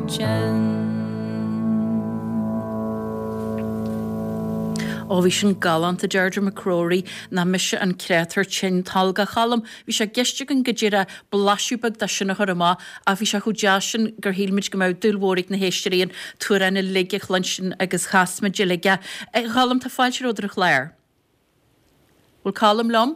tinn. Ó bhí sin galánta Deirdre McCrory, nach mise an créatúr tinn tolgach. A Choilm, bhí sé i gceist againn go díreach blaiseadh beag de sin a chur amach ach bhí sé chomh deas sin gur shíl muid go mbeadh dúil mhór ag na héisteoirí an t-amhrán uilig a chluinstin agus chas muid uilig é. A Choilm, tá fáilte romhat ar an chlár. Bhfuil Colm liom?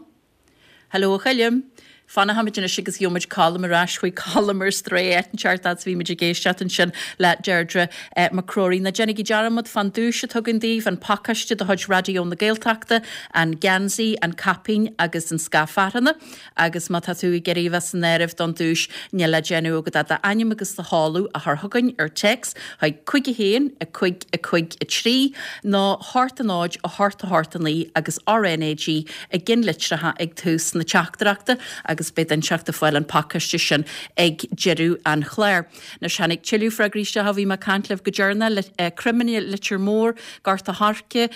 Hello a Choilm. Fanfaimid anois agus gheobhaimid Colm ar ais. Chuaigh Colm ar strae áit inteacht fhad is a bhí muid ag éisteacht ansin le Deirdre McCrory. Ná déanaigí dearmad fán duais atá againn daoibh, an pacáiste de chuid Raidió na Gaeltachta, an geansaí, an caipín agus an scaif fearthanna. Agus má tá tú ag iarraidh a bheith san áireamh don duais, níl le déanamh agat ach d'ainm agus do sheoladh a chur chugainn ar téacs chuig 5 1 5 5 3 nó 8 0 8 8 9 agus RNAG i gceannlitreacha ag tús na teachtaireachta agus beidh duine inteacht ag fáil an pacáiste sin ag deireadh an chláir. Anois tháinig tuilleadh freagraí isteach ó bhí mé ag caint libh go deireanach, Croimine, Leitir Móir, Gort a' Choirce,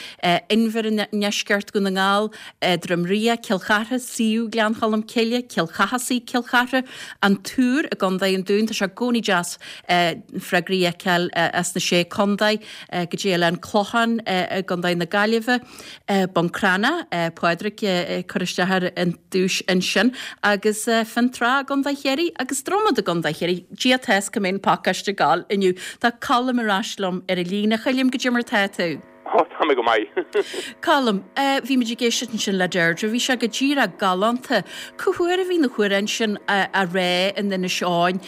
Inbhir i ndeisceart Dhún na nGall, Droim Ria, Cill Chartha, suíomh Ghleann Cholm Cille, Cill Chathasaigh, Cill Chartha, An Túr i gContae an Dúin. Tá sé i gcónaí deas freagraí a fheiceáil as na Sé Contae go dtí Oileán Clochán i gContae na Gaillimhe. Bun Cranncha, Pádraig ag cur isteach ar an duais ansin, agus Fionntrá i gContae Chiarraí agus Dromad i gContae Chiarraí. Dia atá 's cá mbeidh an pacáiste ag gabháil inniu. Tá Colm ar ais liom ar an líne. A Choilm, goidé mar tá tú? Ó, tá mé go maith. Colm, bhí muid ag éisteacht ansin le Deirdre, bhí sé go díreach galánta. Cá huair a bhí na hamhráin sin á rá in Inis Eoghain?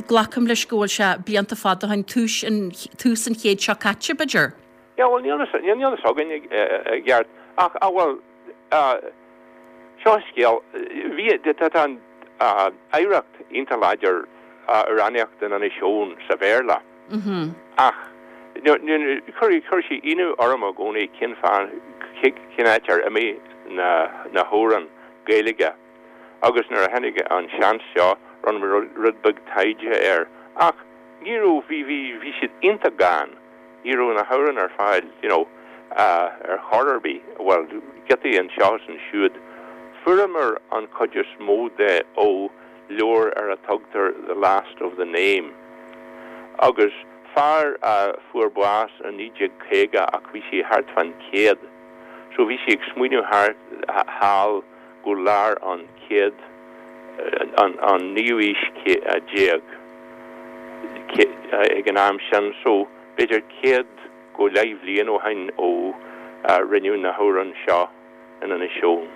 Glacaim leis go bhfuil sé blianta fada ó shin, tús an, tús an chéid seo caite, b'fhéidir? Yeah, bhuel, níl níl fhios againn i gceart, ach, ah, bhuel, seo an scéal, bhí, tá, tá an oidhreacht iontach láidir amhránaíocht in Inis Eoghain sa Bhéarla, ach chuir, chuir sé ionadh orm i gcónaí cén fáth, cén áit ar imigh na, na hamhráin Gaeilge agus nuair a tháinig an seans seo, rinne mé rud beag taighde air, ach ní raibh, bhí, bhí, bhí siad iontach gann. Ní raibh na hamhráin ar fáil, you know, ar chor ar bith, bhuel, giotaí anseo is ansiúd. Fuaireamar an chuid is mó de ó leabhar ar a tugtar The Last of the Name. Agus fear a fuair bás i 1950 ach bhí sé thart fán chéad, so bhí sé ag smaoineamh thart thall go lár an chéad, an naoú aois déag ag an am sin, so b'fhéidir 100 go leith bhliain ó shin ó rinneadh na hamhráin seo in Inis Eoghain.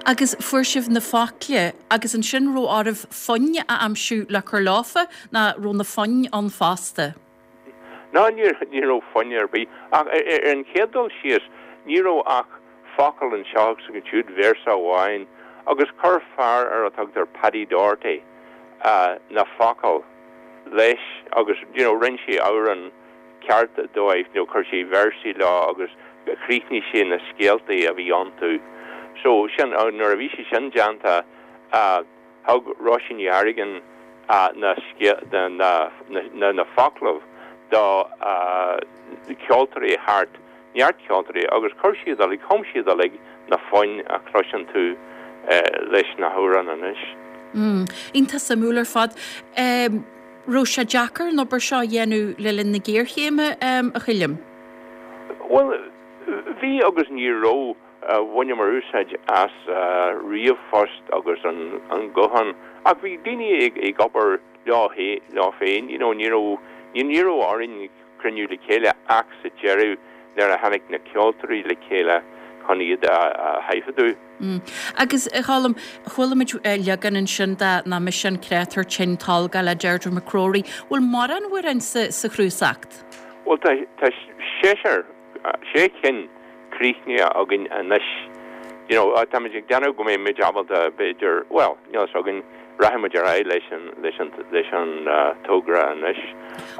Agus fuair sibh na focla agus ansin raibh oraibh foinn a aimsiú le cur leofa nó raibh na foinn ann fosta? Ná ní raibh foinn ar bith. Ach ar an chéad dul síos, ní raibh ach focal anseo agus ansiúd, véarsa amháin, agus chuir fear ar a tugtar Paddy Doherty na focail leis agus you know rinne sé amhrán ceart dóibh, you know chuir sé véarsaí leo agus chríochnaigh sé na scéaltaí a bhí iontu. So sin, nuair a bhí sé sin déanta, Thug Róisín Ní Airghin na na foclaibh do cheoltóirí thart, neart ceoltóirí, agus chuir siad uilig, chum siad uilig na foinn a chloiseann tú leis na hamhráin anois. Iontach suimiúil ar fad. Raibh sé deacair an obair seo a dhéanamh le linn na géarchéime, a Choilm? Bhuel, bhí agus ní raibh. Bhaineamar úsáid as ríomhphost agus an guthán ach bhí daoine ag obair leo leo féin, you know, ní raibh, ní raibh orainn cruinniú le chéile ach sa deireadh nuair a tháinig na ceoltóirí le chéile chun iad a thaifeadadh. Agus, a Choilm, chuala muid leagan ansin de Nach Mise an Créatúr Tinn Tolgach le Deirdre McCrory. Bhfuil mórán amhrán sa chnuasacht? Bhuel, tá seisear. sé cinn críochnaithe againn anois. You know, táimid ag déanamh go mbeidh muid ábalta, b'fhéidir, bhuel, níl a fhios againn, rachaidh muid ar aghaidh leis an, leis an, leis an togra anois.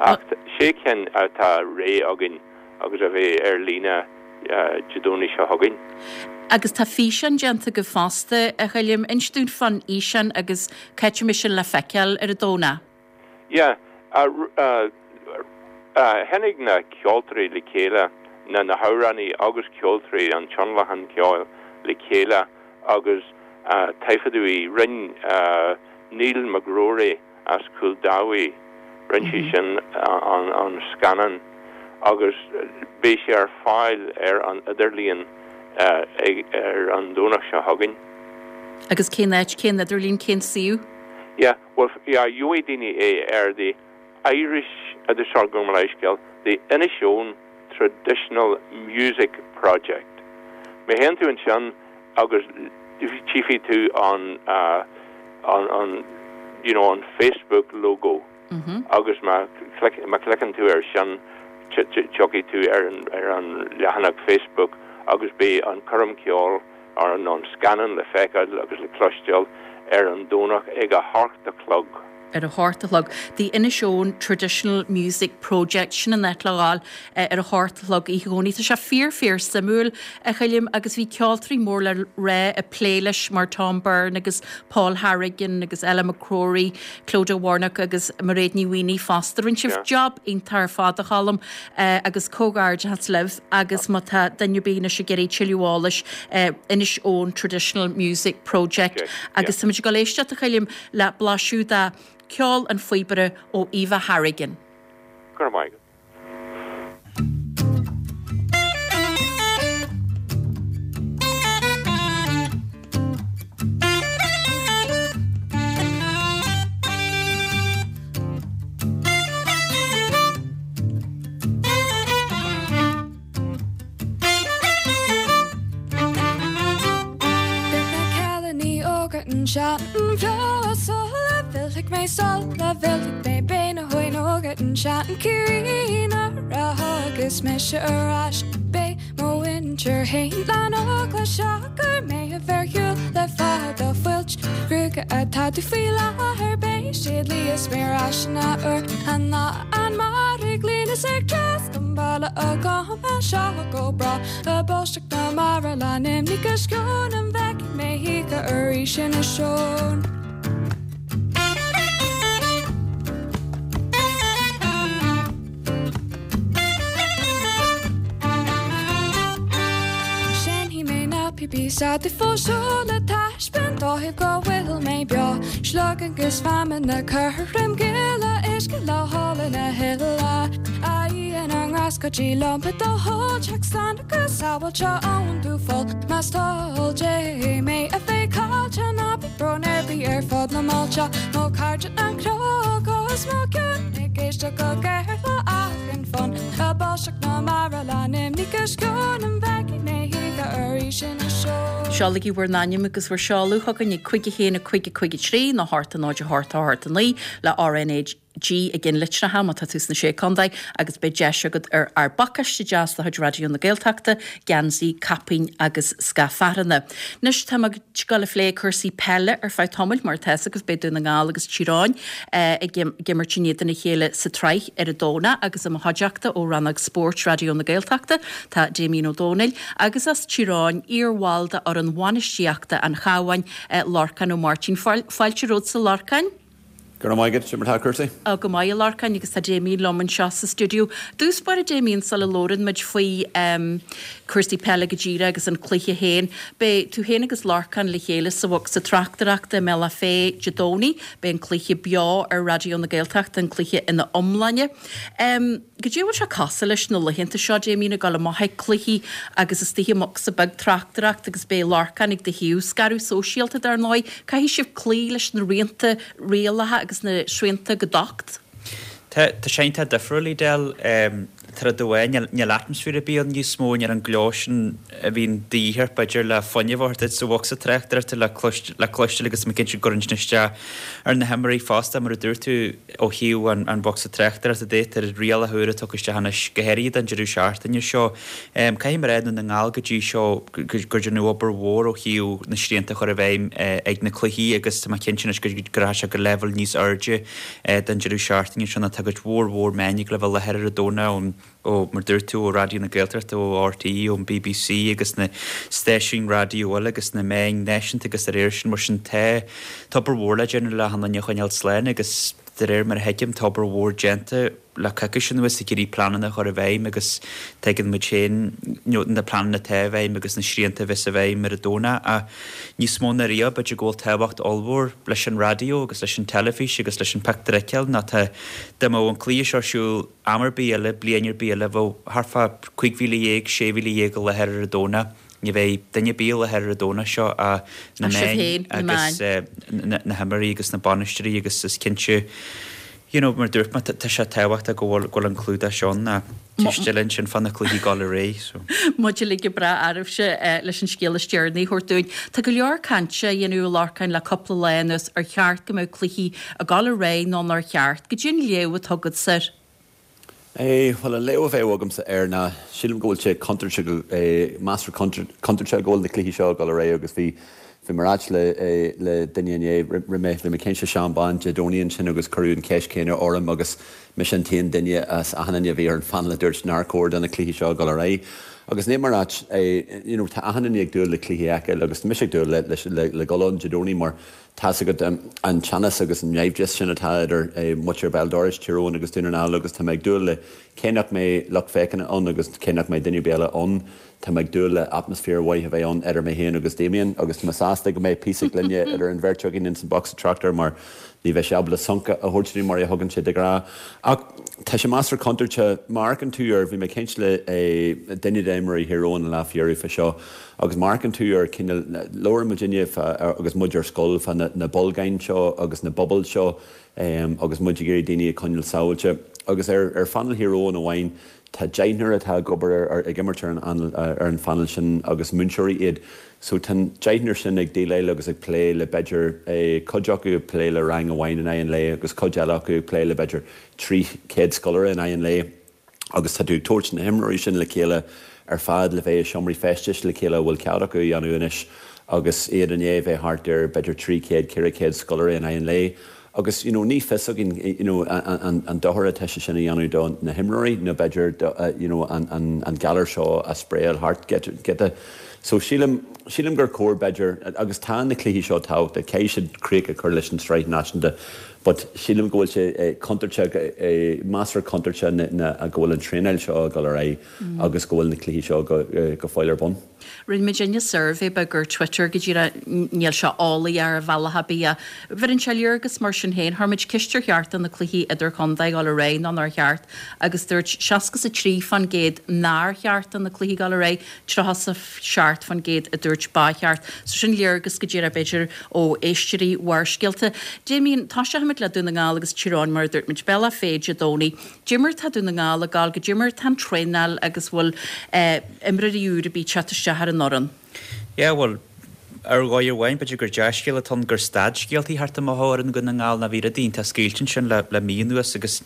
Ach sé cinn atá réidh againn agus a bheidh ar líne Dé Domhnaigh seo chugainn. Agus tá físeán déanta agaibh fosta, a Choilm. Inis dúinn fán fhíseán agus cá háit a mbeidh sin le feiceáil ar an Domhnach. Yeah. Tháinig na ceoltóirí le chéile, na na hamhránaí agus ceoltóirí an tionlacan ceoil le chéile agus taifeadadh í. Rinn Neil McGrory as Cúil Daimh, rinn sé sin an scannán agus beidh sé ar fáil ar an idirlíon ar an Domhnach seo chugainn. Agus cén áit, cén idirlíon, cén suíomh? Yeah. Bhuel, yeah, gheobhaidh daoine é ar the Irish, sorry, gabh mo leithscéal, the Inishowen Traditional Music Project. Má théann tú ansin agus. Tchífidh tú an an an you know an Facebook logo agus má má chliceann tú air sin tiocfaidh tú ar an ar an leathanach Facebook agus beidh an coirm ceoil ar an an scannán le feiceáil agus le cloisteáil ar an Domhnach ag a hocht a chlog. ar a hocht a chlog. The Inishowen Traditional Music Project, sin an áit le dhul ar a hocht a chlog oíche Dhomhnaigh. Tá sé fíor fíor suimiúil, a Choilm, agus bhí ceoltóirí mór le rá ag plé leis mar Tom Byrne agus Paul Harrigan agus Ella McCrory, Clodagh Warnock agus Mairéad Ní Mhaonaigh fosta. Rinne sibh job iontach ar fad, a Choilm, agus comhghairdeachas libh agus má tá duine ar bith anois ag iarraidh tuilleadh eolais, Inishowen Traditional Music Project agus táimid ag dul éisteacht, a Choilm, le blaiseadh de cheol an phíobaire ó Eva Harrigan. Go raibh maith agat. Beidh na cailíní óga anseo beo sula bhfillfidh mé sula bhfillfidh mé beidh na hóga anseo in Ciarraí nuair a thiocfas mise ar ais beidh mo mhuintir fhéin lán eagla siocair mé a bheith ar shiúl le fada fuilt ghruaige atá dubh faoi láthair beidh siad liath is mé ar ais an athuair an lá an mara ag líonadh is ag trasnú an bhaile agam as seo go bráth ag báisteach na mara lán imní 'gus sceon an bhfeicfidh mé choíche arís Inis Eoghain. Seinnfidh mé na píopaí s'acu fós seo le taispeáint dóibh go bhfuil mé beo. Sliogáin 'gus feamainn le cur im ghiolla, uisce le hól ina thuile. A Dhia na nGrást cuidigh liom le do thoil teacht slán agus sábháilte ón dúpholl. Más toil Dé mé a bheith caillte ná bíodh brón ar bith ar fud na mbailte. Mo chairde an cnoc os mo chionn ag éisteacht go géar le achan fonn. Ag báisteach na mara lán imní 'gus sceon an bhfeicfidh mé choíche arís Inis Eoghain. Seolaigí bhur n-ainm agus bhur seoladh chugainn ag 5 1 5 5 3 nó 8 0 8 8 9 le RnaG i gceannlitreacha má tá tú sna Sé Contae agus beidh deis agat ar ár bpacáiste deas de chuid Raidió na Gaeltachta, geansaí, caipín agus scath fearthanna. Anois tá muid ag dul a phlé cúrsaí peile ar feadh tamaill mar atá a fhios agaibh beidh Dún na nGall agus Tír Eoghain ag imirt in éadan a chéile sa tsraith ar an Domhnach agus i mo chuideachta ó Rannóg Spóirt Raidió na Gaeltachta tá Damien Ó Dónaill agus as Tír Eoghain, iar-bhall de fhoireann bhainistíochta an Chabháin, Lorcán Ó Máirtín. Fáilte romhat a Lorcáin. Go raibh maith agat, cad é mar atá cúrsaí? Á, go maith, a Lorcáin, agus tá Damien liom anseo sa stiúideo. I dtús báire, Damien, sula labhrann muid faoi cúrsaí peile go díreach agus an cluiche féin, beidh tú féin agus Lorcán le chéile sa bhocsa tráchtaireachta i mBealach Féich Dé Domhnaigh. Beidh an cluiche beo ar Raidió na Gaeltachta, an cluiche ina iomláine. Goidé a bhfuil sé cosúil leis na laethanta seo, Damien, ag dul amach ag cluichí agus istigh i mbocsa beag tráchtaireachta agus beidh Lorcán ag do thaobh. Scaradh sóisialta, dar ndóigh. Caithfidh sibh cloí leis na rianta, rialacha agus na srianta go docht. Tá, tá sé iontach difriúil, Edel. Tá rud amháin, níl atmaisféar ar bith ann níos mó, níl an gleo sin a bhíonn de dhíth ort, b'fhéidir, le fuinneamh a thabhairt duit sa bhocsa tráchtaireachta le cloisteáil agus tá mé cinnte go gcuireann sin isteach ar na himreoirí fosta, mar a dúirt tú. Ó thaobh an bhocsa tráchtaireachta de, tá rialacha úra tugtha isteach anois, go háirithe don deireadh seachtaine seo. Caithfidh mé a rá, i nDún na nGall go dtí seo, gur déanadh obair mhór ó thaobh na srianta a chur i bhfeidhm ag na cluichí agus tá mé cinnte anois go rachaidh sé go leibhéal níos airde don deireadh seachtaine seo nó tá cuid mhór mhór meáin ag gabháil a bheith i láthair ar an Domhnach ón ó, mar dúirt tú, ó Raidió na Gaeltachta, ó RTÉ, ón bbc agus na stáisiúin raidió eile agus na meáin náisiúnta agus dá réir sin. Mar sin tá, tá obair mhór le déanamh le achan duine a choinneáil slán agus de réir mar a thuigim tá obair mhór déanta le coicís anuas ag iarraidh pleananna a chur i bhfeidhm agus tuigeann muid féin na pleananna atá i bhfeidhm agus na srianta a bheas i bhfeidhm ar an Domhnach ach níos mó ná riamh b'fhéidir go bhfuil tábhacht ollmhór leis an raidió agus leis an teilifís agus leis an pictiúr a fheiceáil nó tá, dá mbeadh an cluiche seo ar siúl Am ar bith eile, bliain ar bith eile, bheadh thart fá 15,000, 16,000 i láthair ar an Domhnach. Ní bheidh duine ar bith i láthair ar an Domhnach seo ach na Ach sibh meáin féin, na agus meáin. na himreoirí agus na bainisteoirí agus is cinnte. You know, mar dúirt mé, tá sé tábhachtach go bhfuil, go bhfuil an clúdach seo ann ach ceist eile ansin fá na cluichí ag dul ar aghaidh, so. Muid uilig go breá oraibhse leis an scéal is deireanaí a thabhairt dúinn. Tá go leor cainte á dhéanamh a Lorcáin le cúpla lá anuas ar cheart go mbeadh cluichí ag dul ar aghaidh nó nár cheart. Goidé an léamh atá agatsa air. Bhuel, an léamh a bheadh agamsa air ná, sílim go bhfuil sé contúirteach go, measartha contúirteach go bhfuil na cluichí seo ag dul ar aghaidh agus bhí, bhí mé ag ráit le, le duine inné, roimh mé, bhí mé ag caint le Seán Bán Dé Domhnaigh ansin agus cuireadh an cheist chéanna orm agus mise an t-aon duine as achan duine a bhí ar an phainéal a dúirt nár chóir do na cluichí seo a dhul ar aghaidh. Agus níl mé ag ráit, you know, tá achan duine ag dúil le cluichí a fheiceáil agus tá mise ag dúil le, le, le dhul ann Dé Domhnaigh mar Tá's agat an teannas agus an naimhdeas sin atá idir muintir béal dorais, Tír Eoghain agus Dún na nGall agus tá mé ag dúil le, cé nach mbeidh lucht féachana ann agus cé nach mbeidh duine ar bith eile ann, tá mé ag dúil le atmaisféar mhaith a bheith ann idir mé féin agus Damien agus tá mé sásta go mbeidh píosa gloine idir an bheirt againn ins an bocsa tráchtaire mar ní bheidh sé ábalta sonc a thabhairt dúinn mar a thugann sé de ghnáth. Ach tá sé measartha contúirteach má amharcann tú ar, bhí mé ag caint le duine d'imreoirí Thír Eoghain an lá faoi dheireadh fá seo, Agus má amharcann tú ar cineál, labhair muidinne fá, agus muid ar scoil, fá na bolgáin seo agus na bubbles seo agus muid ag iarraidh daoine a choinneáil sábháilte. Agus ar ar phainéal Thír Eoghain amháin, tá deichniúr atá ag obair ar, ag imirt ar an ar an phainéal sin agus múinteoirí iad. So tá an deichniúr sin ag déileáil agus ag plé le b'fhéidir, cuid acu ag plé le rang amháin in aghaidh an lae agus cuid eile acu ag plé le b'fhéidir 300 scoláire in aghaidh an lae. agus tá tú ag tabhairt na himreoirí sin le chéile ar fad le bheith i seomraí feistis le chéile a bhfuil cead acu a dhéanamh anois agus iad i ndiaidh bheith thart ar b'fhéidir 300, 400 scoláire in aghaidh an lae agus you know ní fios againn you know an dochar atá sé sin a dhéanamh do na himreoirí nó b'fhéidir do you know an an galar seo a spraeáil thart giota. So sílim, sílim gur chóir b'fhéidir, agus tá na cluichí seo tábhachtach, caithfidh siad críoch a chur leis an tsraith náisiúnta but sílim go bhfuil sé contúirteach, measartha contúirteach go bhfuil an traenáil seo ag dul ar aghaidh agus go bhfuil na cluichí seo go fóill ar bun. Rinne muidinne suirbhé beag ar Twitter go díreach, níl sé eolaí ar bhealach ar bith ach bheireann sé léargas mar sin féin. Chuir muid ceist ar cheart do na cluichí idirchontae dhul ar aghaidh nó nár cheart agus dúirt 63% nár cheart do na cluichí dhul ar aghaidh, 37% a dúirt ba cheart. So sin léargas go díreach b'fhéidir ó éisteoirí Bharrscéalta. Damien, tosóimid le Dún na nGall agus Tír Eoghain mar a dúirt muid, Bealach Féich Dé Domhnaigh. Goidé mar tá Dún na nGall ag gabháil, goidé mar tá an traenáil agus bhfuil imreoirí úr ar bith ag teacht isteach ar an fhoireann? Yeah, bhuel, ar dhóigh amháin, b'fhéidir gur dea-scéal atá ann gur stad scéaltaí thart amach ó fhoireann Dhún na nGall nó bhí rudaí iontach scaoilte ansin le mí anuas agus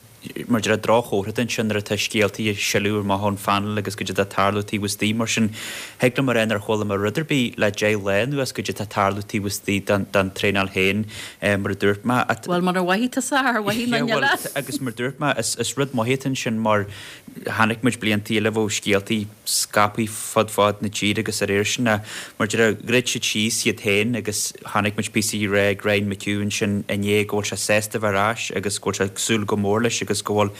Mar a déarfá, droch-chomhartha ansin nuair atá scéaltaí ag sileadh amach ón phainéal agus goidé atá ag tarlú taobh istigh. Mar sin, thig liom a rá nár chuala mé rud ar bith le 10 lá anuas goidé atá ag tarlú taobh istigh den traenáil féin, mar a dúirt mé. Bhuel, munar mhothaigh tusa ar mhothaigh duine eile? Agus mar a dúirt mé, is rud maith atá ansin mar chonaic muid blianta eile bheadh scéaltaí scaipthe fud fad na tíre agus dá réir sin, mar a déarfá, dhruid siad síos iad féin agus chonaic muid píosa á rá ag Ryan McHugh ansin inné go bhfuil sé sásta bheith ar ais agus go bhfuil sé ag súil go mór leis agus go bhfuil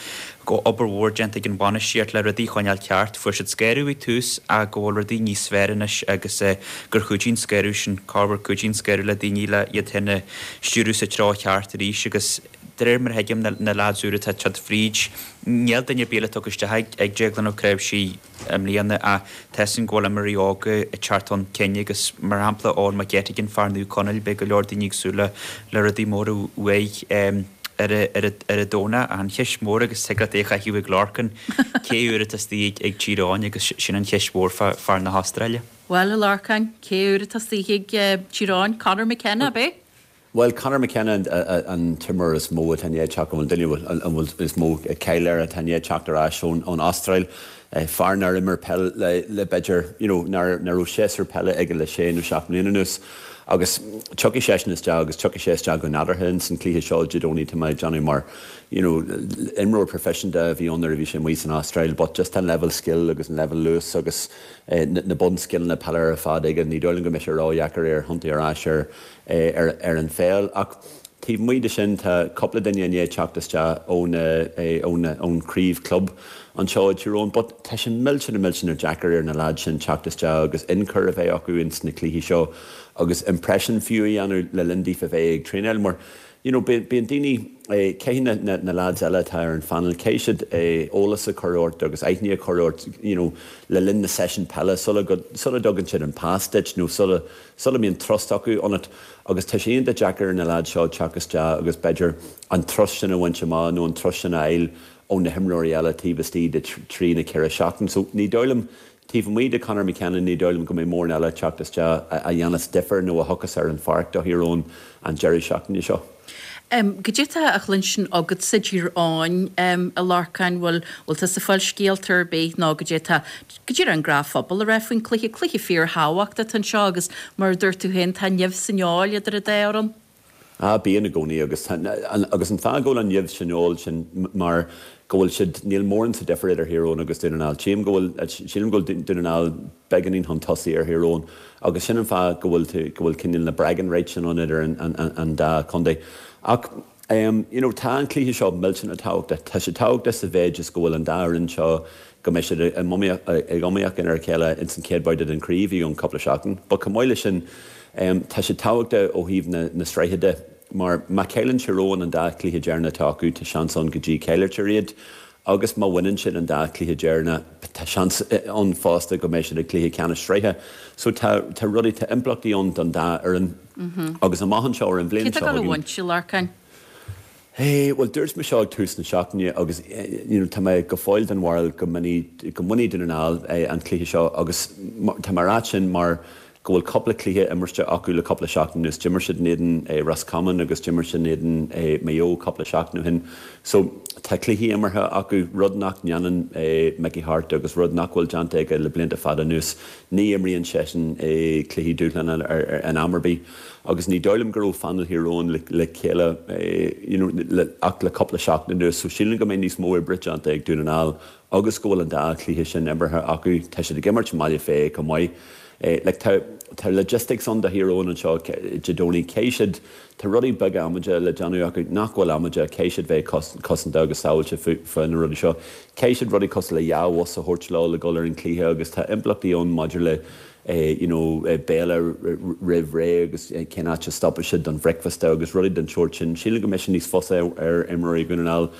go obair mhór déanta ag an bhainistíocht le rudaí a choinneáil ceart. Fuair siad scaradh ag tús ach go bhfuil rudaí níos fearr anois agus gur chuidigh an scaradh sin, corruair cuidíonn scaradh le daoine le iad féin a stiúradh sa treo cheart arís agus de réir mar a thuigim na leaids úra atá ag teacht fríd, níl duine ar bith eile tugtha isteach ag Déaglán Ó Cnáimhsí i mbliana ach tá 'fhios againn go bhfuil imreoirí óga ag teacht chun cinn agus mar shampla Eoin McGettigan, fear Naomh Conaill, beidh go leor daoine ag súil le le rudaí móra uaidh ar an Domhnach. Ach an cheist mhór agus thig leat é a chaitheamh ag Lorcan, cé úr atá istigh ag Tír Eoghain agus sin an cheist mhór fá fear na hAstráile. Bhuel, a Lorcáin, cé úr atá istigh ag Tír Eoghain? Conor McKenna, ab é? Bhuel, Conor McKenna an t-imreoir is mó atá i ndiaidh teacht, an duine a bhfuil is mó cáil air atá i ndiaidh teacht ar ais ón Astráil. Fear nár imir peil le b'fhéidir, you know, nár raibh séasúr peile aige le sé nó seacht mbliana anuas. Agus tiocfaidh seisean isteach agus tiocfaidh sé isteach go nádúrtha ins an cluiche seo Dé Domhnaigh tá mé ag déanamh mar, you know, imreoir proifisiúnta a bhí ann nuair a bhí sé amuigh san Astráil but just an leibhéal scil agus an leibhéal luas agus na bunscileanna peile ar fad aige, ní dóigh liom go mbeidh sé ródheacair air thiontú ar ais ar ar an pheil. Ach taobh amuigh de sin tá cúpla duine i ndiaidh teacht isteach ón chraobh club anseo i dTír Eoghain but tá sé millteanach millteanach deacair ar na leaids sin teacht isteach agus ionchur a bheith acu ins na cluichí seo agus impression fiú a dhéanamh le linn daofa bheith ag traenáil mar. you know, bíonn daoine, caithfidh na, na, na lads eile atá ar an phainéal, caithfidh siad eolas a chur ort agus aithne a chur ort, you know, le linn na session peile sula go, sula dtugann siad an pas duit nó sula, sula mbíonn trust acu ionat. Agus tá sé iontach deacair ar na lads seo teacht isteach agus b'fhéidir an trust sin a bhaint amach nó an trust sin a fháil ó na himreoirí eile taobh istigh de thrí nó ceithre seachtain. So ní dóigh liom, taobh amuigh de Conor McKenna, ní dóigh liom go mbeidh mórán eile ag teacht isteach a dhéanfas difear nó a thiocfas ar an pháirc do Thír Eoghain an deireadh seachtaine seo. Goidé tá á chluinstin agatsa i dTír Eoghain, a Lorcáin, bhfuil, bhfuil tusa ag fáil scéalta ar bith nó goidé tá, goidé an gnáthphobal ag rá faoin cluiche, cluiche fíorthábhachtach atá anseo agus mar a dúirt tú féin tá nimh sa fheoil idir an dá fhoireann. Ah, bíonn i gcónaí agus tá, agus an fáth go bhfuil an nimh san fheoil sin mar go bhfuil siad, níl mórán sa difear idir Thír Eoghain agus Dún na nGall. Tchím go bhfuil, sílim go bhfuil Dún na nGall beagáinín chun tosaigh ar Thír Eoghain agus sin an fáth go bhfuil tú, go bhfuil cineál na bragging rights sin ann idir an, an, an dá chontae. Ach, em, you know, tá an cluiche seo millteanach tábhachtach. Tá sé tábhachtach sa mhéid is go bhfuil an dá fhoireann seo, go mbeidh siad ag iomaíocht ar a chéile ins an chéad bhabhta den chraobh i gceann cúpla seachtain. But chomh maith leis sin, tá sé tábhachtach ó thaobh na sraithe de, mar má chailleann Tír Eoghain an dá chluiche deireanach atá acu, tá seans ann go díchailltear iad, agus má bhaineann siad an dá chluiche deireanach, tá seans ann fosta go mbeidh siad ag cluiche ceannais sraithe. So tá rudaí, tá impleachtaí ann don dá fhoireann agus amach anseo ar an bhliain seo chugainn. Cé atá ag dul a bhaint, a Lorcáin? Hey, bhuel dúirt mé seo ag tús na seachtaine agus you know tá mé go fóill den bharúil go mbainfidh go mbainfidh Dún na nGall an cluiche seo agus tá mé ag rá sin mar go bhfuil cúpla cluiche imirte acu le cúpla seachtain anuas. D'imir siad in éadan Ros Comáin agus d'imir siad in éadan Maigh Eo cúpla seachtain ó shin. So tá cluichí imeartha acu, rud nach ndéanann Mickey Harte agus rud nach bhfuil déanta aige le blianta fada anuas. Ní imríonn seisean cluichí dúshláin in am ar bith. Agus ní dóigh liom go raibh phainéal Thír Eoghain le chéile you know ach le cúpla seachtain anuas so sílim go mbeidh níos mó oibre déanta ag Dún na nGall agus go bhfuil an dá chluiche sin imeartha acu. Tá siad ag imirt i mBaile Féich chomh maith. Like tá tá logistics ann do Thír Eoghain anseo Dé Domhnaigh. Caithfidh siad, tá rudaí beaga amaideacha le déanamh acu nach bhfuil amaideach, caithfidh siad bheith cosanta agus sábháilte fá na rudaí seo. Caithfidh siad rudaí cosúil le dhá bhus a thabhairt leo le dul ar an chluiche agus tá impleachtaí ann maidir le you know béile roimh ré agus cén áit a stopfaidh siad don bhricfeasta agus rudaí den tsórt sin. Sílim go mbeidh sé níos fusa ar imreoirí Dhún na nGall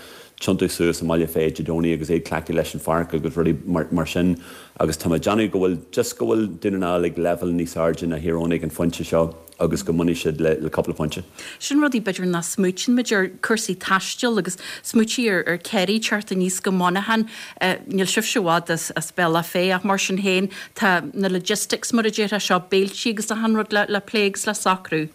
tiontú suas i mBaile Féich Dé Domhnaigh agus iad cleachtaithe leis an pháirc agus rudaí mar sin agus tá mé ag déanamh go bhfuil just go bhfuil Dún na nGall ag leibhéal níos airde ná Thír Eoghain ag an phointe seo. agus go mbainfidh siad le cúpla pointe. Sin rudaí b'fhéidir nach smaoitíonn muid ar, cúrsaí taistil agus smaoitigh ar ar Kerry teacht aníos go Monaghan. Níl sibhse i bhfad as Bealach Féich ach mar sin féin tá na logistics mar a déarfá seo, béiltí agus achan rud le plé agus le socrú.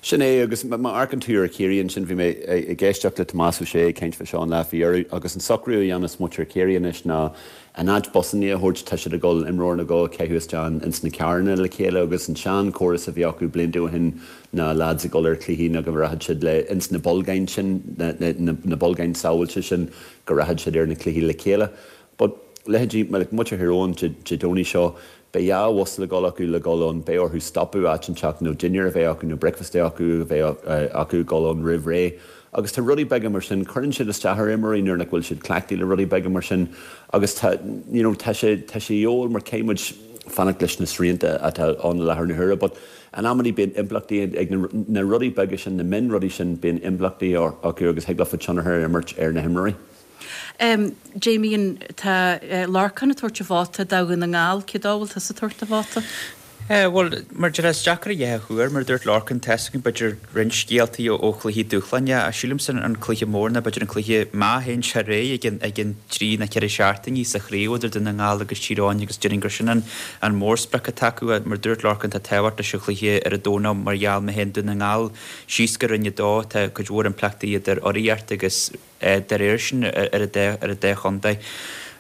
Sin é agus má amharcann tú ar Chiarraí ansin, bhí mé ag éisteacht le Tomás Ó Sé ag caint fá seo an lá faoi dheireadh agus an socrú a dhéanas muintir Chiarraí anois ná In áit busanna a thabhairt, tá siad ag dul imreoir nó dhó a chaitheamh isteach ins na carranna le chéile agus an sean chóras a bhí acu blianta ó shin ná lads ag dul ar chluichí ná go rachadh siad le ins na bolgáin sin, na bolgáin sábháilte sin, go rachadh siad ar na cluichí le chéile. But leithéidí like muintir Thír Eoghain Dé Domhnaigh seo, beidh dhá bhus le dhul acu le dhul ann, beidh orthu stopadh áit inteacht nó dinnéar a bheith acu nó bricfeasta acu a bheith acu ag dul ann roimh ré. Agus tá rudaí beaga mar sin, cuireann siad isteach ar imreoirí nuair nach bhfuil siad cleachtaithe le rudaí beaga mar sin agus tá, you know, tá sé, tá sé de dhíobháil mar caithfidh muid fanacht leis na srianta atá ann i láthair na huaire but in amannaí bíonn impleachtaí ag na, na rudaí beaga sin, na mion rudaí sin, bíonn impleachtaí acu agus thig leofa tionchar a imirt ar na himreoirí. Damien, tá Lorcán ag tabhairt a vóta do Dhún na nGall, cé dó a bhfuil tusa ag tabhairt do vóta? Bhuel, mar a déarfá, is deacair a dhath a thuar, mar a dúirt Lorcán, tá's againn b'fhéidir roinnt scéaltaí ó chluichí dúshláin, ach sílimse an cluiche mór ná b'fhéidir an cluiche má théann sé ar aghaidh i gceann trí nó ceithre seachtainí sa chraobh idir Dún na nGall agus Tír Eoghain agus déarfainn gur sin an mórsprioc atá acu. Mar a dúirt Lorcán, tá tábhacht leis an chluiche ar an Domhnach mar gheall má théann Dún na nGall síos go Roinn 2, tá cuid mhór impleachtaí idir urraíocht agus dá réir sin ar an dá chontae.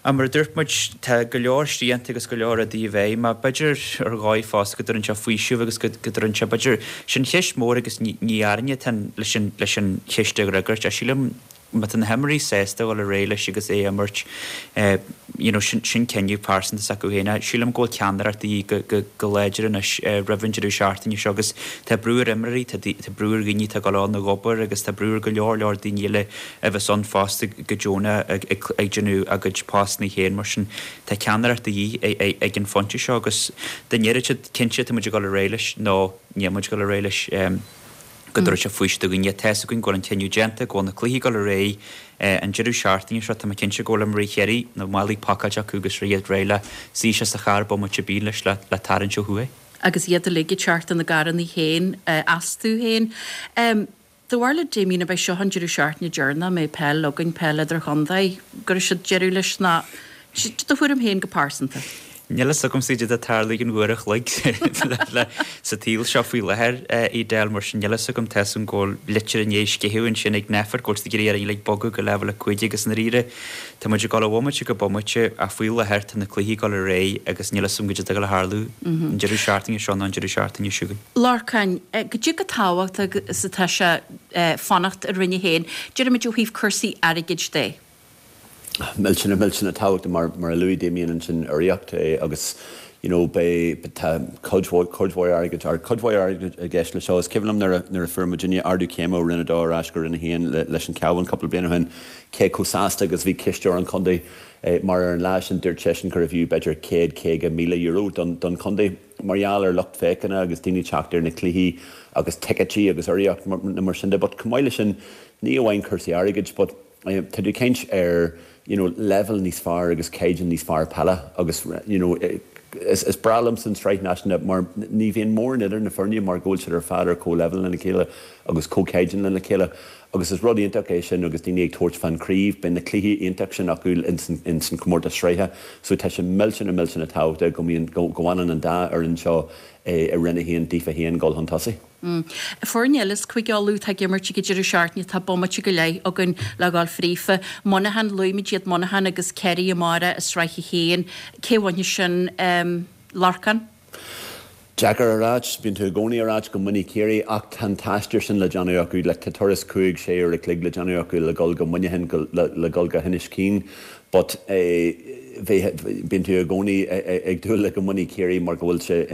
Ach mar a dúirt muid, tá go leor srianta agus go leor rudaí i bhfeidhm, ach b'fhéidir ar dhóigh fosta go dtabharann sé faoiseamh agus go dtabharann sé, b'fhéidir, sin cheist mhór agus ní orainne atá leis an leis an cheist a fhreagairt ach sílim má tá na himreoirí sásta dul ar aghaidh leis agus é a imirt, you know, sin sin cinneadh pearsanta s'acu féin. Ach sílim go bhfuil ceannaireacht de dhíth go go go láidir anois roimh an deireadh seachtaine seo agus tá brú ar imreoirí, tá tá brú ar dhaoine atá ag dul ann ag obair agus tá brú ar go leor leor daoine eile a bheas ann fosta go Domhnach ag ag ag déanamh a gcuid postanna féin mar sin tá ceannaireacht de dhíth ag an phointe seo agus dá ndéarfadh siad cinnte tá muid ag dul ar aghaidh leis nó níl muid ag dul ar aghaidh leis. Go dtabharfaidh sé faoiseamh do dhaoine. Tá fhios againn go bhfuil an cinneadh déanta, go bhfuil na cluichí ag dul ar aghaidh an deireadh seachtaine seo. Tá mé cinnte go bhfuil imreoirí Chiarraí, na málaí pacáilte acu agus iad réidh le suí isteach sa charr bomaite ar bith anois le tarraingt ó thuaidh. Agus iad uilig ag teacht ina gcarranna féin astu féin. Do bharúil Damien, ab é seo an deireadh seachtaine deireanach a mbeidh peil againn, peil idirchontae, go gcuirfidh siad deireadh leis ná do thuairim féin go pearsanta? Níl fhios agamsa caidé atá ag tarlú i gceann uair a chloig sa tsaol seo faoi láthair, Edel, mar sin níl fhios agam, tá fhios agam go bhfuil litir i ndiaidh sceitheadh ansin ag Nphet go bhfuil siad ag iarraidh orainn uilig bogadh go leibhéal 5 agus i ndáiríre tá muid ag dul ó bhomaite go bomaite ach faoi láthair tá na cluichí ag dul ar aghaidh agus níl fhios agam caidé atá ag dul a tharlú an deireadh seachtaine seo nó an deireadh seachtaine seo chugainn. Lorcán, Goidé chomh tábhachtach is atá sé fanacht i Roinn 1, deirimid ó thaobh cúrsaí airgid de? Millteanach, millteanach tábhachtach mar mar a luaigh Damien ansin urraíocht agus you know beidh tá cuid mhór cuid mhór airgid or cuid mhór airgid i gceist le seo. Is cuimhin liom nuair a nuair a fuair muidinne ardú céime ó Roinn 2 ar ais go Roinn 1 le leis an Cabhán cúpla bliain ó shin cé chomh sásta agus a bhí cisteoir an chontae mar ar an lá sin dúirt seisean gurbh fhiú b'fhéidir €150,000 don don chontae. mar gheall ar lucht féachana agus daoine teacht ar na cluichí agus ticéidí agus urraíocht nó mar sin de but chomh maith leis sin ní amháin cúrsaí airgid but tá tú ag caint ar you know leibhéal níos fearr agus caighdeán níos fearr peile agus you know is is breá liomsa an tsraith náisiúnta mar ní bhíonn mórán idir na foirne mar go bhfuil siad ar fad ar comhleibhéal lena chéile agus comhchaighdeán lena chéile Agus is rud iontach é sin agus daoine ag tabhairt fán chraobh, beidh na cluichí iontach sin acu ins an chomórtas sraithe so tá sé millteanach millteanach tábhachtach go mbíonn, go bhfanann an dá fhoireann seo i Roinn 1 daofa féin dul chun tosaigh. Foirne eile as Cúige Uladh atá ag imirt ag an deireadh seachtaine, tá bomaite go leith againn le dhul fríofa. Muineachán, luaigh muid iad, Muineachán agus Ciarraí amárach i Sraith 1. Cé a bhainfidh sin, Lorcán? Deacair a ráit, bíonn tú i gcónaí ag ráit go mbainfidh Ciarraí ach tá an t-aistear sin le déanamh acu, like tá turas cúig, sé uair a chloig le déanamh acu le dhul go Muineachán, le dhul go hInis Caoin but bheith, bíonn tú i gcónaí ag dúil le go mbainfidh Ciarraí mar go bhfuil sé,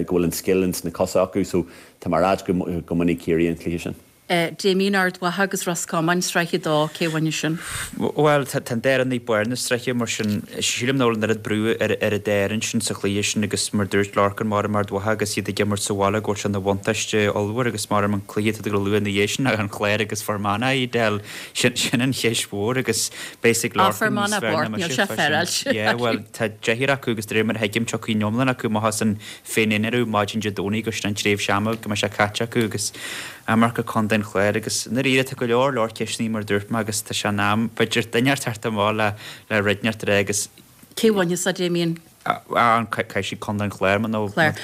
go bhfuil an scil ins na cosa acu so tá mé ag ráit go mbainfidh Ciarraí an cluiche sin. Damien, Ard Mhacha agus Ros Comáin, Sraith 2, cé a bhainfidh sin? Bhuel, tá an dá fhoireann ag barr na sraithe, mar sin, sílim nach bhfuil an oiread brú ar an dá fhoireann sin sa chluiche sin agus mar dúirt Lorcan, maram Ard Mhacha agus iad ag imirt sa bhaile go bhfuil sé ina bhuntáiste ollmhór agus maram an cluiche atá tú ag lua ina dhiaidh sin, an Clár agus Fear Manach, Edel, sin sin an cheist mhór agus beidh a fhios ag Ah, Fear Lorcan níos Manach fearr ná bocht, níl mise sé fá sin. féaráilte. Yeah, bhuel, tá deichniúr acu agus de réir mar a thuigim tiocfaidh an iomlán acu amach as an féin-innealra maidin Dé Domhnaigh agus sin an tréimhse ama go mbeidh sé caite acu agus amharc ar Chontae an Chláir agus i ndáiríre tá go leor leor ceisteanna mar a dúirt mé agus tá sé in am b'fhéidir duine inteacht teacht amach le le rud inteacht a rá agus Cé a bhainfeas é Damien? Ah, caithfidh siad Contae an Chláir mar nó Cláir.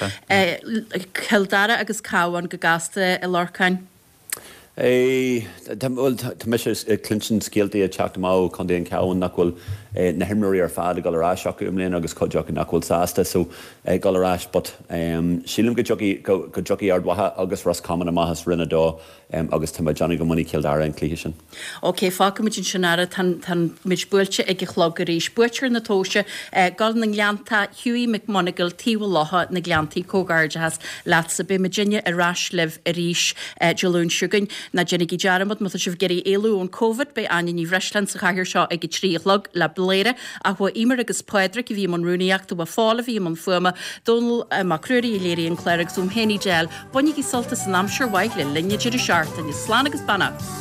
Cill Dara agus Cabhán go gasta a Lorcáin. Bhuel, tá mise ag cluinstin scéaltaí ag teacht amach ó Chontae an Chabháin nach bhfuil na himreoirí ar fad ag dul ar ais acu i mbliana agus cuid acu nach bhfuil sásta so dul ar ais but sílim go dtiocfaidh go dtiocfaidh Ard Mhacha agus Ros Comáin amach as Roinn 2 agus tá mé ag déanamh go mbainfidh Cill Dara an cluiche sin. Ok, fágfaimid ansin é, tá muid buailte ag an chlog arís. Buaiteoir na tomhaise, Gol na nGleannta, Hughie McMonagle, Taobh an Locha, na Gleanntaí, Comhghairdeachas leatsa. Beidh muidinne ar ais libh arís Dé Luain seo chugainn. Ná déanaigí dearmad, má tá sibh ag iarraidh éalú ón Covid, beidh Áine Ní Bhreisleáin sa chathaoir seo ag a 3 a chlog le Bladhaire. Ach ba Emer agus Pádraic a bhí i mbun rúnaíochta, ba Phól a bhí i mbun fuaime, Dónal Mac Ruairí a léirigh an clár agus uaim féin Edel. Bainigí sult as an aimsir mhaith le linn an deireadh seachtaine. Slán agus beannacht!